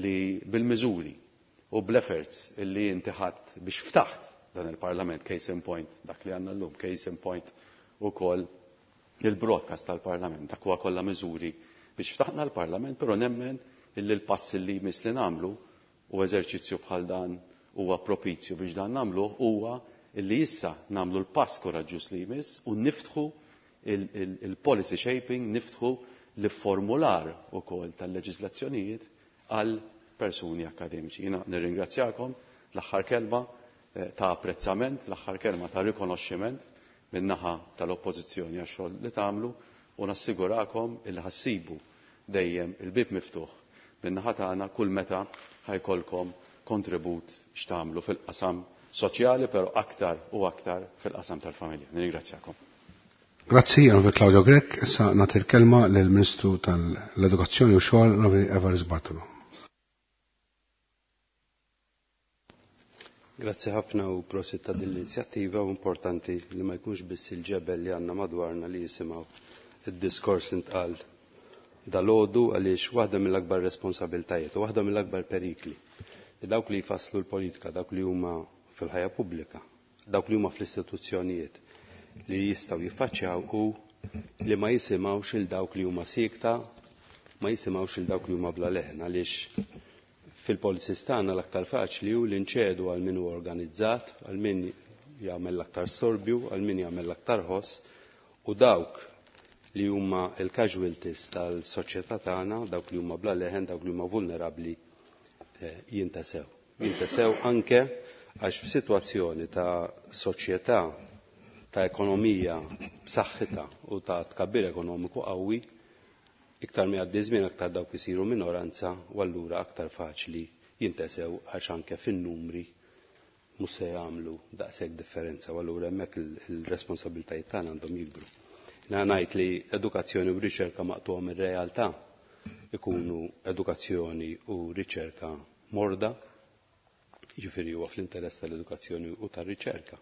li bil-miżuri u bl-efforts li inti ħadd biex ftaħt dan il-Parlament, case in point, dak li għandna llum, case in point ukoll il-broadcast tal-Parlament, dak huwa kollha miżuri biex ftaħna l-Parlament, però nemmen illi l-pass li jmiss li nagħmlu u eżerċizzju bħal dan huwa propizju biex dan nagħmluh huwa illi issa nagħmlu l-pass koraġġuż li jmiss u niftħu il-policy shaping, niftħu l-formular ukoll tal-leġiżlazzjonijiet għal persuni akademiċi. Jiena nirringrazzjakom l-aħħar kelma ta' apprezzament, l-aħħar kelma ta' rikonoxximent min-naħa tal-oppożizzjoni għax-xogħol li tagħmlu u nassigurakom illi ħassibu dejjem il-bib miftuħ min-naħa tagħna kull meta ħajkolkom kontribut x'tagħmlu fil-qasam soċjali, però aktar u aktar fil-qasam tal-familja. Nirringrazzjakom. Grazzi, Onorevoli Claudio Grech. Issa nagħti l-kelma lill-Ministru tal-Edukazzjoni u Xogħol, Onorevoli Evarist Bartolo. Grazzi ħafna u prosit ta' din l-inizjattiva u importanti li ma jkunx biss il-ġebel li għandna madwarna li jisimgħu id-diskors li ntqal dalgħodu, għaliex waħda mill-akbar responsabiltajiet u waħda mill-akbar perikli li dawk li jfasslu l-politika, dawk li huma fil-ħajja pubblika, dawk li huma fl-istituzzjonijiet li jistgħu jiffaċċjaw u li ma jisimgħux il dawk li huma siekta, ma jisimgħux il dawk li huma bla leħen, għaliex fil-policies tagħna l-aktar faċli hu li nċedu għal min hu organizzat, għal min jagħmel l-aktar storbju, għal min jagħmel l-aktar ħoss, u dawk li huma l-casualties tal-soċjetà tagħna, dawk li huma bla leħen, dawk li huma vulnerabbli, jintesew. Jintesew anke għax f'sitwazzjoni ta' soċjetà, ta' ekonomija b'saħħitha u ta' tkabbir ekonomiku qawwi, iktar ma jgħaddi żmien aktar dawk isiru minoranza u allura aktar faċli jintesew għax anke fin-numri mhux se jagħmlu daqshekk differenza, u allura hemmhekk il-responsabbiltajiet tagħna għandhom jikbru. Jiena ngħid li edukazzjoni u riċerka maqtugħa mir-realtà ikunu edukazzjoni u riċerka morda, jiġifieri huwa fl-interess tal-edukazzjoni u tar-riċerka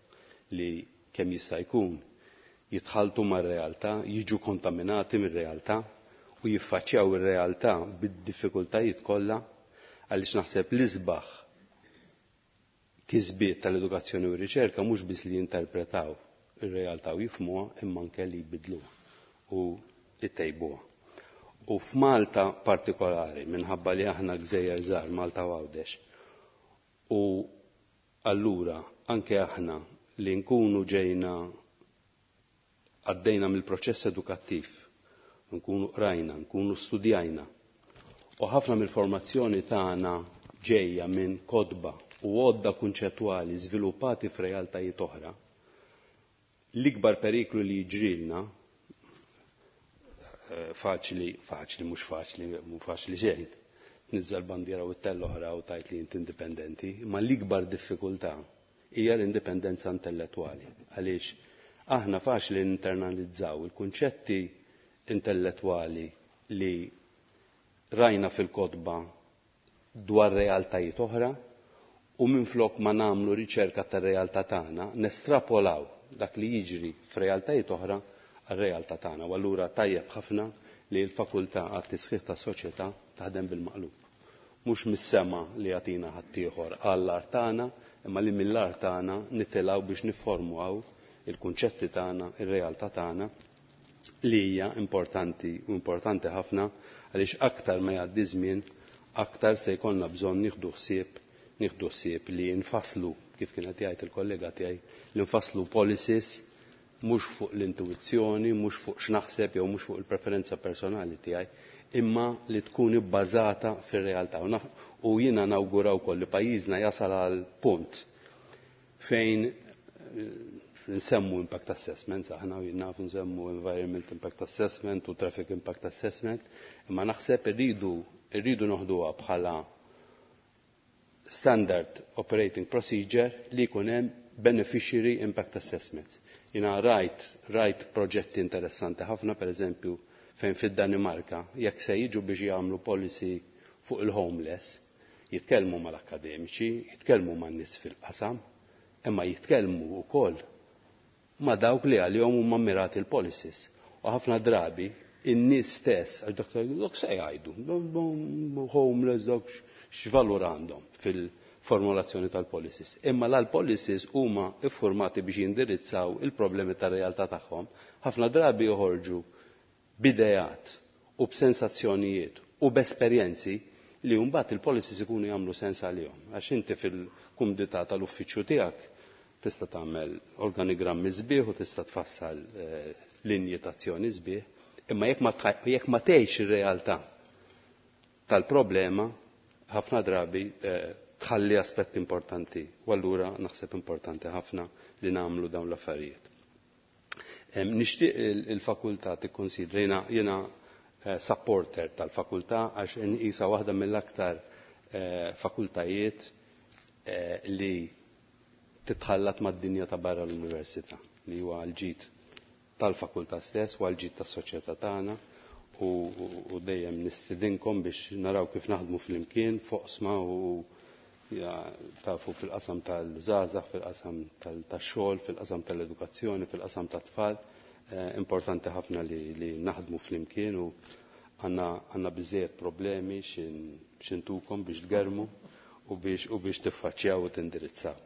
li kemm jista' jkun jitħaltu mar-realtà, jiġu kontaminati mir-realtà u jiffaċċjaw ir-realtà bid-diffikultajiet kollha, għaliex naħseb l-isbaħ kisbiet tal-edukazzjoni u r-riċerka mhux biss li jinterpretaw ir-realtà u jifhmuha, imma anke li jbidluha u jtejbuha. U f'Malta partikolari, minħabba li aħna gżejjer żgħar, Malta u Għawdex, u allura anke aħna li nkunu ġejna għaddejna mill-proċess edukattiv, nkunu qrajna, nkunu studjajna, u ħafna mill-formazzjoni tagħna ġejja minn kotba u għodda kunċettwali żviluppati f'realtajiet oħra, l-ikbar periklu li jiġrilna, faċli, faċli, mhux faċli, mhux faċli xejn, tniżżel bandiera u t-tell oħra u tajt li int indipendenti, imma l-ikbar diffikultà hija l-indipendenza intellettwali. Għaliex aħna faċli internalizzaw il-kunċetti intellettwali li rajna fil-kotba dwar realtajiet oħra, u minflok ma nagħmlu riċerka tar-realtà tagħna, nestrapolaw dak li jiġri f'realtajiet oħra għar-realtà tagħna. U allura tajjeb ħafna li l-fakultà għat-tisħiħ tas-soċjetà taħdem bil-maqlub. Mhux mis-sema li jagħtina ħaddieħor għall-art tagħna, imma li mill-art tagħna nitilgħu biex nifformwaw il-kunċetti tagħna, ir-realtà tagħna, li hija importanti u importanti ħafna, għaliex aktar ma jgħaddi żmien, aktar se jkollna bżonn nieħdu ħsieb, nieħdu ħsieb li nfasslu, kif kien qed jgħid il-kollega tiegħi, li nfasslu policies mhux fuq l-intuizzjoni, mhux fuq x'naħseb jew mhux fuq il-preferenza personali tiegħi, imma li tkun ibbażata fir-realtà. U jiena nawgura wkoll li pajjiżna jasal għal punt fejn nsemmu impact assessment, aħna naf nsemmu environment impact assessment u traffic impact assessment, imma naħseb irridu, irridu noħduha bħala standard operating procedure li jkun hemm beneficiary impact assessments. Jiena rajt, rajt proġetti interessanti ħafna, per eżempju, fejn fid-Danimarka, jekk se jiġu biex jagħmlu policy fuq il-homeless, jitkellmu mal-akademiċi, jitkellmu man-nies fil-qasam, imma jitkellmu wkoll ma' dawk li għalihom huma mirati l-policies. U ħafna drabi in-nies stess, għax dak dak se jgħidu, homeless dak x'valur għandhom fil-formulazzjoni tal-policies. Imma l-policies huma iffurmati biex jindirizzaw il-problemi tar-realtà tagħhom, ħafna drabi joħorġu b'idejat u b'sensazzjonijiet u b'esperjenzi li mbagħad il-policies ikunu jagħmlu sens għalihom. Għax inti fil-kumdità tal-uffiċċju tiegħek tista' tagħmel organigrammi sbieħ u tista' tfassal linji ta' azzjoni sbieħ, imma jekk ma tħaj-, jekk ma tgħix ir-realtà tal-problema, ħafna drabi tħalli aspett importanti, u allura naħseb importanti ħafna li nagħmlu dawn l-affarijiet. Nixtieq il-fakultà tikkonsidra, jiena, jiena supporter tal-fakultà għax inqisha waħda mill-aktar fakultajiet li titħallat mad-dinja ta' barra l-università, li huwa l-ġid tal-fakultà stess u għall-ġid tas-soċjetà tagħna, u, u, u dejjem nistidinkom biex naraw kif naħdmu flimkien foqsma u Tafu fil-qasam tal-żgħażagħ, fil-qasam tax-xogħol, fil-qasam tal-edukazzjoni, fil-qasam tat-tfal. Importanti ħafna li, li naħdmu flimkien u għandna biżejjed problemi x'intukom biex tgermu u biex, u biex tiffaċċjaw u tindirizzaw.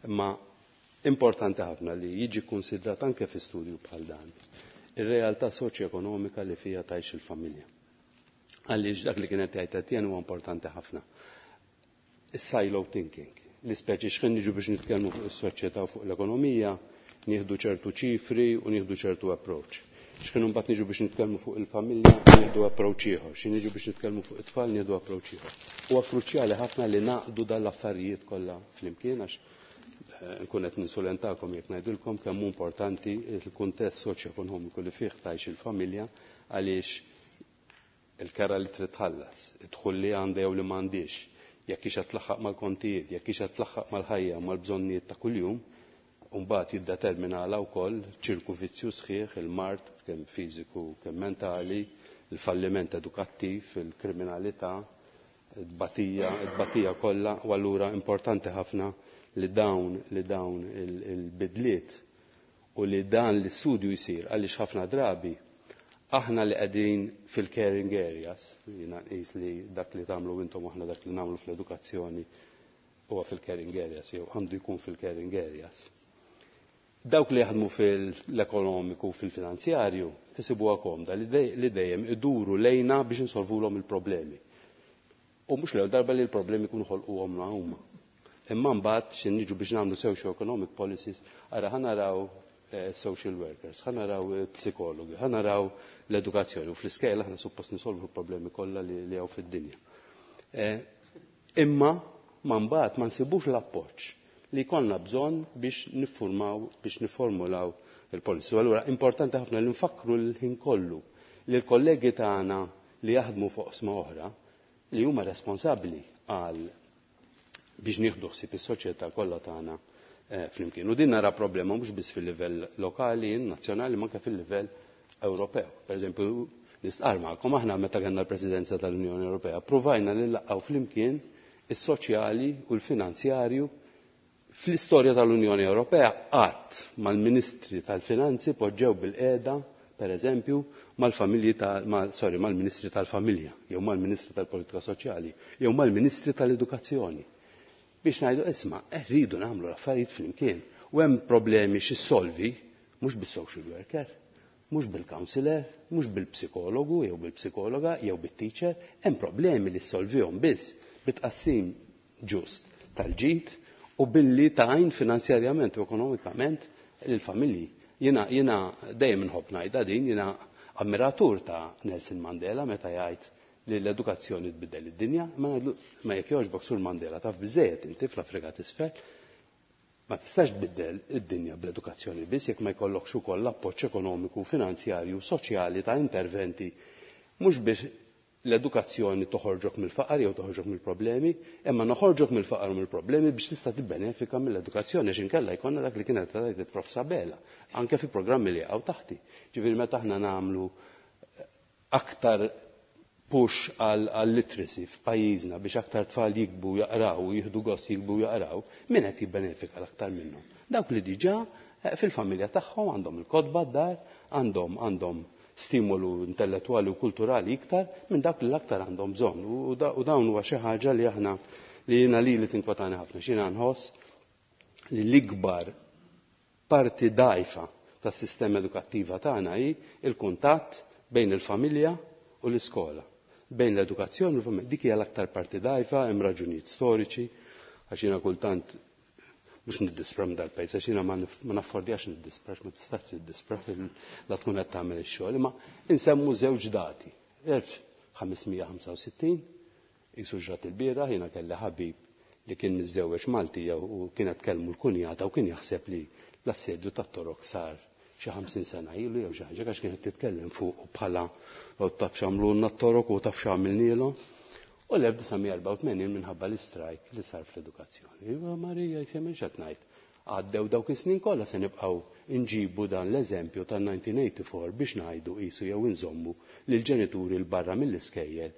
Imma importanti ħafna li jiġi konsidrat anke fi studju bħal dan ir-realtà soċjoekonomika li fija tgħix il-familja. Għaliex dak li kienet jgħid Etienne huwa importanti ħafna. Is-silo thinking, li speċi x'ħin niġu biex nitkellmu fuq is-soċjetà u fuq l-ekonomija, nieħdu ċertu ċifri u nieħdu ċertu approach. X'ħin imbagħad niġu biex nitkellmu fuq il-familja, nieħdu approach ieħor. X'ħin niġu biex nitkellmu fuq it-tfal, nieħdu approach ieħor. Huwa kruċjali ħafna li naqdu dan l-affarijiet kollha flimkien għax nkun qed ninsulentakom jekk ngħidilkom kemm hu importanti l-kuntest soċjoekonomiku li fih tgħix il-familja għaliex il-kera li trid tħallas, id-dħul li għandha jew li m'għandix, jekk hix qed tlaħħaq mal-kontijiet, jekk hix qed tlaħħaq mal-ħajja u mal-bżonnijiet ta' kuljum, u mbagħad jiddeterminalha wkoll ċirku vizzju sħiħ, il-mard kemm fiżiku kemm mentali, il-falliment edukattiv, il-kriminalità, it-tbatija, it-tbatija kollha, u allura importanti ħafna li dawn li dawn il-bidliet u li dan l-istudju jsir għaliex ħafna drabi aħna li qegħdin fil-caring areas, jiena nqis li dak li tagħmlu intom aħna dak li nagħmlu fl-edukazzjoni huwa fil-caring areas jew għandu jkun fil-caring areas. Dawk li jaħdmu fil-ekonomiku u fil-finanzjarju isibuha komda li dejjem iduru lejna biex insolvulhom il-problemi. U mhux l-ewwel darba li l-problemi jkunu ħolquhom huma. Imma mbagħad xi niġu biex nagħmlu socio-economic policies, ara ħa naraw social workers, ħa naraw psikologi, ħa naraw l-edukazzjoni u fl-iskejla aħna suppost nisolvu l-problemi kollha li hawn fid-dinja. Imma ma mbagħad ma nsibux l-appoġġ li jkollna bżonn biex niffurmaw, biex niformulaw il-policy. Allura importanti ħafna li nfakru l-ħin kollu li l-kollegi tagħna li jaħdmu fuq oqsma oħra li huma responsabbli għal biex nieħdu ħsieb is-soċjetà kollha tagħna flimkien. U din nara problema mhux biss fil-livell lokali, nazzjonali, ma anke fil-livell Ewropew. Per eżempju, nistqar magħkom aħna meta kellna l-Presidenza tal-Unjoni Ewropea, provajna li nlaqgħu flimkien is-soċjali u l-finanzjarju fl-istorja tal-Unjoni Ewropea qatt mal-Ministri tal-Finanzi poġġew bil-qiegħda, per eżempju, mal-familji ta' mal, sorry, mal-Ministri tal-Familja, jew mal-Ministri tal-Politika Soċjali, jew mal-Ministri tal-Edukazzjoni. Biex ngħidu isma', rridu nagħmlu l-affarijiet flimkien. U hemm problemi x'issolvi mhux bis-social worker, mhux bil-counselor, mhux bil-psikologu jew bil-psikologa jew bit-teacher, hemm problemi li ssolvihom biss bit-tqassim ġust tal-ġid u billi tajn finanzjarjament u ekonomikament lill-familji. Jiena jiena dejjem inħobb ngħidha din, jiena ammiratur ta' Nelson Mandela meta jgħid li l-edukazzjoni tbiddel id-dinja, ma ngħidlu ma jekk jogħġbok Sur Mandela taf biżejjed inti fl-Afrika t'isfel, ma tistax tbiddel id-dinja bl-edukazzjoni biss jekk ma jkollokx ukoll l-appoġġ ekonomiku, finanzjarju, soċjali ta' interventi mhux biex l-edukazzjoni toħorġok mill-faqar jew toħorġok mill-problemi, imma noħorġok mill-faqar u mill-problemi biex tista' tibbenefika mill-edukazzjoni għax inkella jkollna dak li kienet tgħid il-Prof Sabela, anke fi programmi li jaqgħu taħti. Ġifieri meta aħna nagħmlu aktar push għal literacy f'pajjiżna biex aktar tfal jikbu jaqraw u jieħdu gost jikbu jaqraw, min qed jibbenefika l-aktar minnhom? Dawk li diġà fil-familja tagħhom għandhom il-kotba d-dar, għandhom għandhom stimolu intellettwali u kulturali iktar minn dak li l-aktar għandhom bżonn. U dawn huwa xi ħaġa li aħna li jiena lili tinkwetani ħafna. X'jiena nħoss li l-ikbar parti dgħajfa tas-sistema edukattiva tagħna hi il-kuntatt bejn il-familja u l-iskola. Bejn l-edukazzjoni u l-familja. Dik hija l-aktar parti dgħajfa, hemm raġunijiet storiċi, għax jiena kultant mhux niddispra minn dal-pajjiż, għax jiena ma naffordjax niddispra, ma tistax tiddisprax la tkun qed tagħmel ix-xogħol, imma insemmu żewġ dati. elf ħamesmija ħamsa u sittin, qisu ġrat il-bieraħ, jiena kelli ħabib li kien miżżewweġ Maltija u kienet kellmu l-kunjata u kien jaħseb li l-assedju tat-Torok sar xi ħamsin sena ilu jew xi ħaġa għax kienet titkellem fuq bħala u taf x'għamlulna t-Torok u taf x'għamilnielhom. U l-elf disa' mija erbgħa u tmenin minħabba l-istrajk li sar fl-edukazzjoni. Iva Marija, jfhem x'qed ngħid. Għaddew dawk is-snin kollha se nibqgħu nġibu dan l-eżempju ta' nineteen eighty-four biex ngħidu qisu jew inżommu lill-ġenituri l barra mill-iskejjel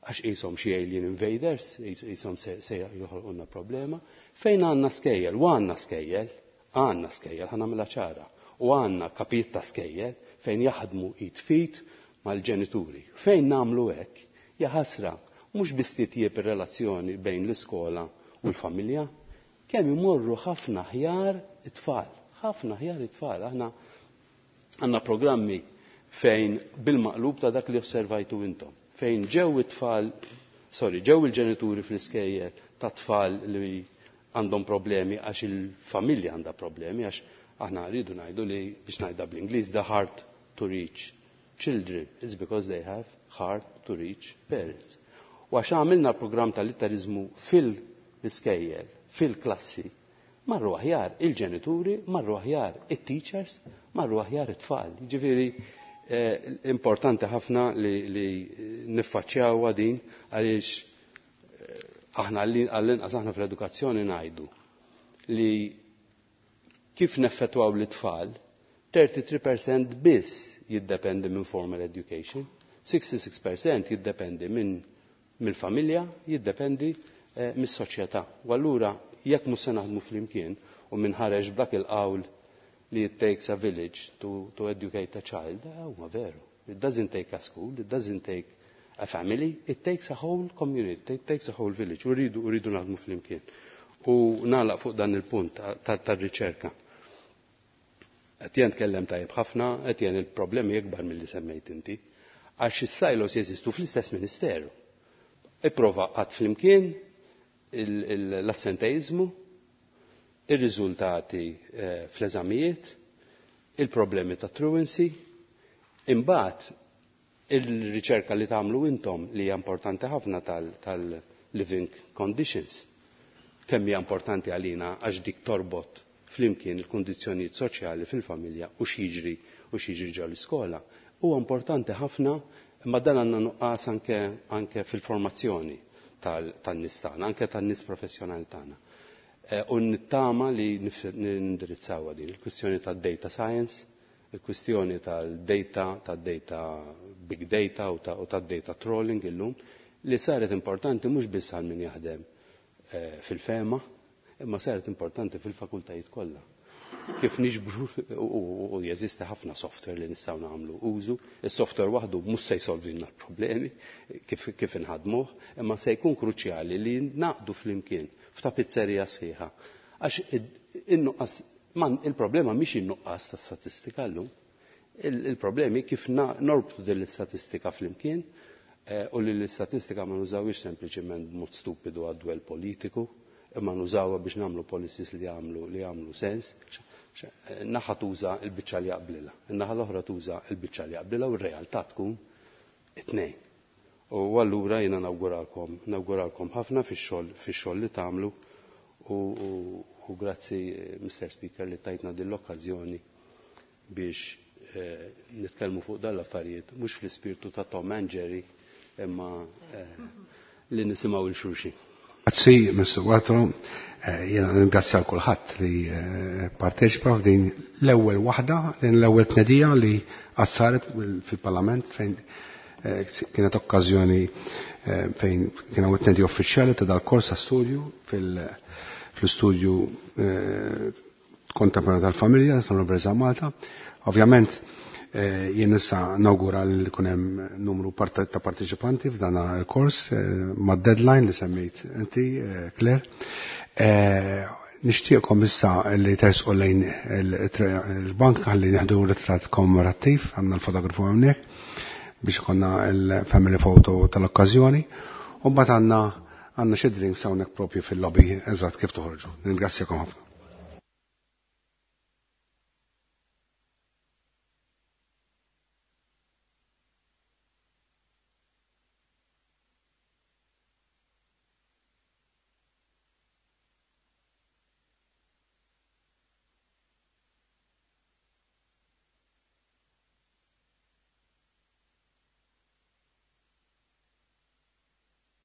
Għax qishom xi alien invaders, qishom se joħolqulna problema. Fejn għandna skejjel, u għandna skejjel, għandna skejjel, ħa nagħmilha ċara, u għandna kapijiet ta' skejjel fejn jaħdmu id f'id mal-ġenituri. Fejn nagħmlu hekk, jaħasra, mhux biss titjieb ir-relazzjoni bejn l-iskola u l-familja, kemm imorru ħafna aħjar it-tfal, ħafna aħjar it-tfal. Aħna għandna programmi fejn bil-maqlub ta' dak li osservajtu intom, fejn ġew it-tfal, sorry, ġew il-ġenituri fl-iskejjel ta' tfal li għandhom problemi għax il-familja għandha problemi, għax aħna rridu ngħidu li biex ngħidha bl-Ingliż the hard to reach children is because they have hard to reach parents. U għax għamilna program tal-litteriżmu fil-iskejjel, fil-klassi, marru aħjar il-ġenituri, marru aħjar it-teachers, marru aħjar it-tfal. Ġifieri eh, importanti ħafna li, li niffaċċjawha din għaliex eh, aħna għall-inqas aħna fl-edukazzjoni ngħidu li kif neffettwaw l-tfal, tlieta u tletin fil-mija biss jiddependi minn formal education, sitta u sittin fil-mija jiddependi minn mill-familja, jiddependi eh, mis-soċjetà. U allura jekk mhux se naħdmu flimkien u min ħareġ b'dak il-qawl li it takes a village to, to educate a child, eh, huwa veru. It doesn't take a school, it doesn't take a family, it takes a whole community, it takes a whole village. U rridu rridu naħdmu flimkien. U nagħlaq fuq dan il-punt tar-riċerka. Etienne tkellem tajjeb ħafna, Etienne, il-problemi ikbar milli semmejt inti, għax is-silos jeżistu fl-istess ministeru. Ipprova għaqqad flimkien l-assenteizmu, ir-riżultati eh, fl-eżamijiet, il-problemi ta' truancy, imbagħad il-riċerka li tagħmlu intom li hija importanti ħafna tal-living conditions. Kemm hija importanti għalina għax dik torbot flimkien il-kundizzjonijiet soċjali fil-familja u x'jiġri u x'jiġri ġo l-iskola. Huwa importanti ħafna, imma dan għandna nuqqas anke, anke fil-formazzjoni tan-nies tagħna, anke tan-nies professjonali tagħna. Eh, u nittama li nindirizzaw din il-kwistjoni tad-data science, il-kwistjoni tal-data, tad-data big data u tad-data trolling illum, li saret importanti mhux biss għal min jaħdem eh, fil-FEMA, imma saret importanti fil-fakultajiet kollha. Kif niġbru u jeżisti ħafna software li nistgħu nagħmlu użu, is-software waħdu mhux se jsolvilna l-problemi kif, kif inħadmuh, imma se jkun kruċjali li naqdu flimkien f'tapizzerija sħiħa. Għax in-nuqqas, il-problema mhix in-nuqqas ta' statistika llum, il-problemi kif norbtu din l-istatistika flimkien eh, u li l-istatistika ma nużawix sempliċement b'mod stupidu għad-dwell politiku, imma nużawha biex nagħmlu policies li jagħmlu li jagħmlu sens. Naħa tuża l-biċċa li jaqblilha, in-naħa l-oħra tuża l-biċċa li jaqblilha u r-realtà tkun it-tnejn. U allura jiena nawguralkom, nawguralkom ħafna fix-xogħol fix-xogħol li tagħmlu u, u, u grazzi, Mister Speaker, li tajtna din l-okkażjoni biex eh, nitkellmu fuq dan l-affarijiet mhux fl-ispirtu ta' Tom and Jerry imma eh, li nisimgħu lil xulxin. Grazzi, Mister Watro. Eh, jiena ringrazzja kulħadd li eh, parteċipa f'din l-ewwel waħda, din l-ewwel tnedija li qatt saret fil-Parlament fejn eh, kienet okkażjoni fejn kien hawn tnedija uffiċjali ta' dal-kors ta' studju fil-studju kontemporanju tal-familja tal-Università Malta. Ovvjament, jien issa nawgura li jkun hemm numru ta' parteċipanti f'dan il-kors ma' deadline li semmejt inti, Claire. Nixtieqkom issa li tersqu lejn il-bank ħalli nieħdu ritratt kommemorattiv, għandna l-fotografu hawnhekk biex ikollna il-family photo tal-okkażjoni. U mbagħad għandna għandna xi drinks hawnhekk propju fil-lobby eżatt kif toħorġu. Ningrazzjakom ħafna.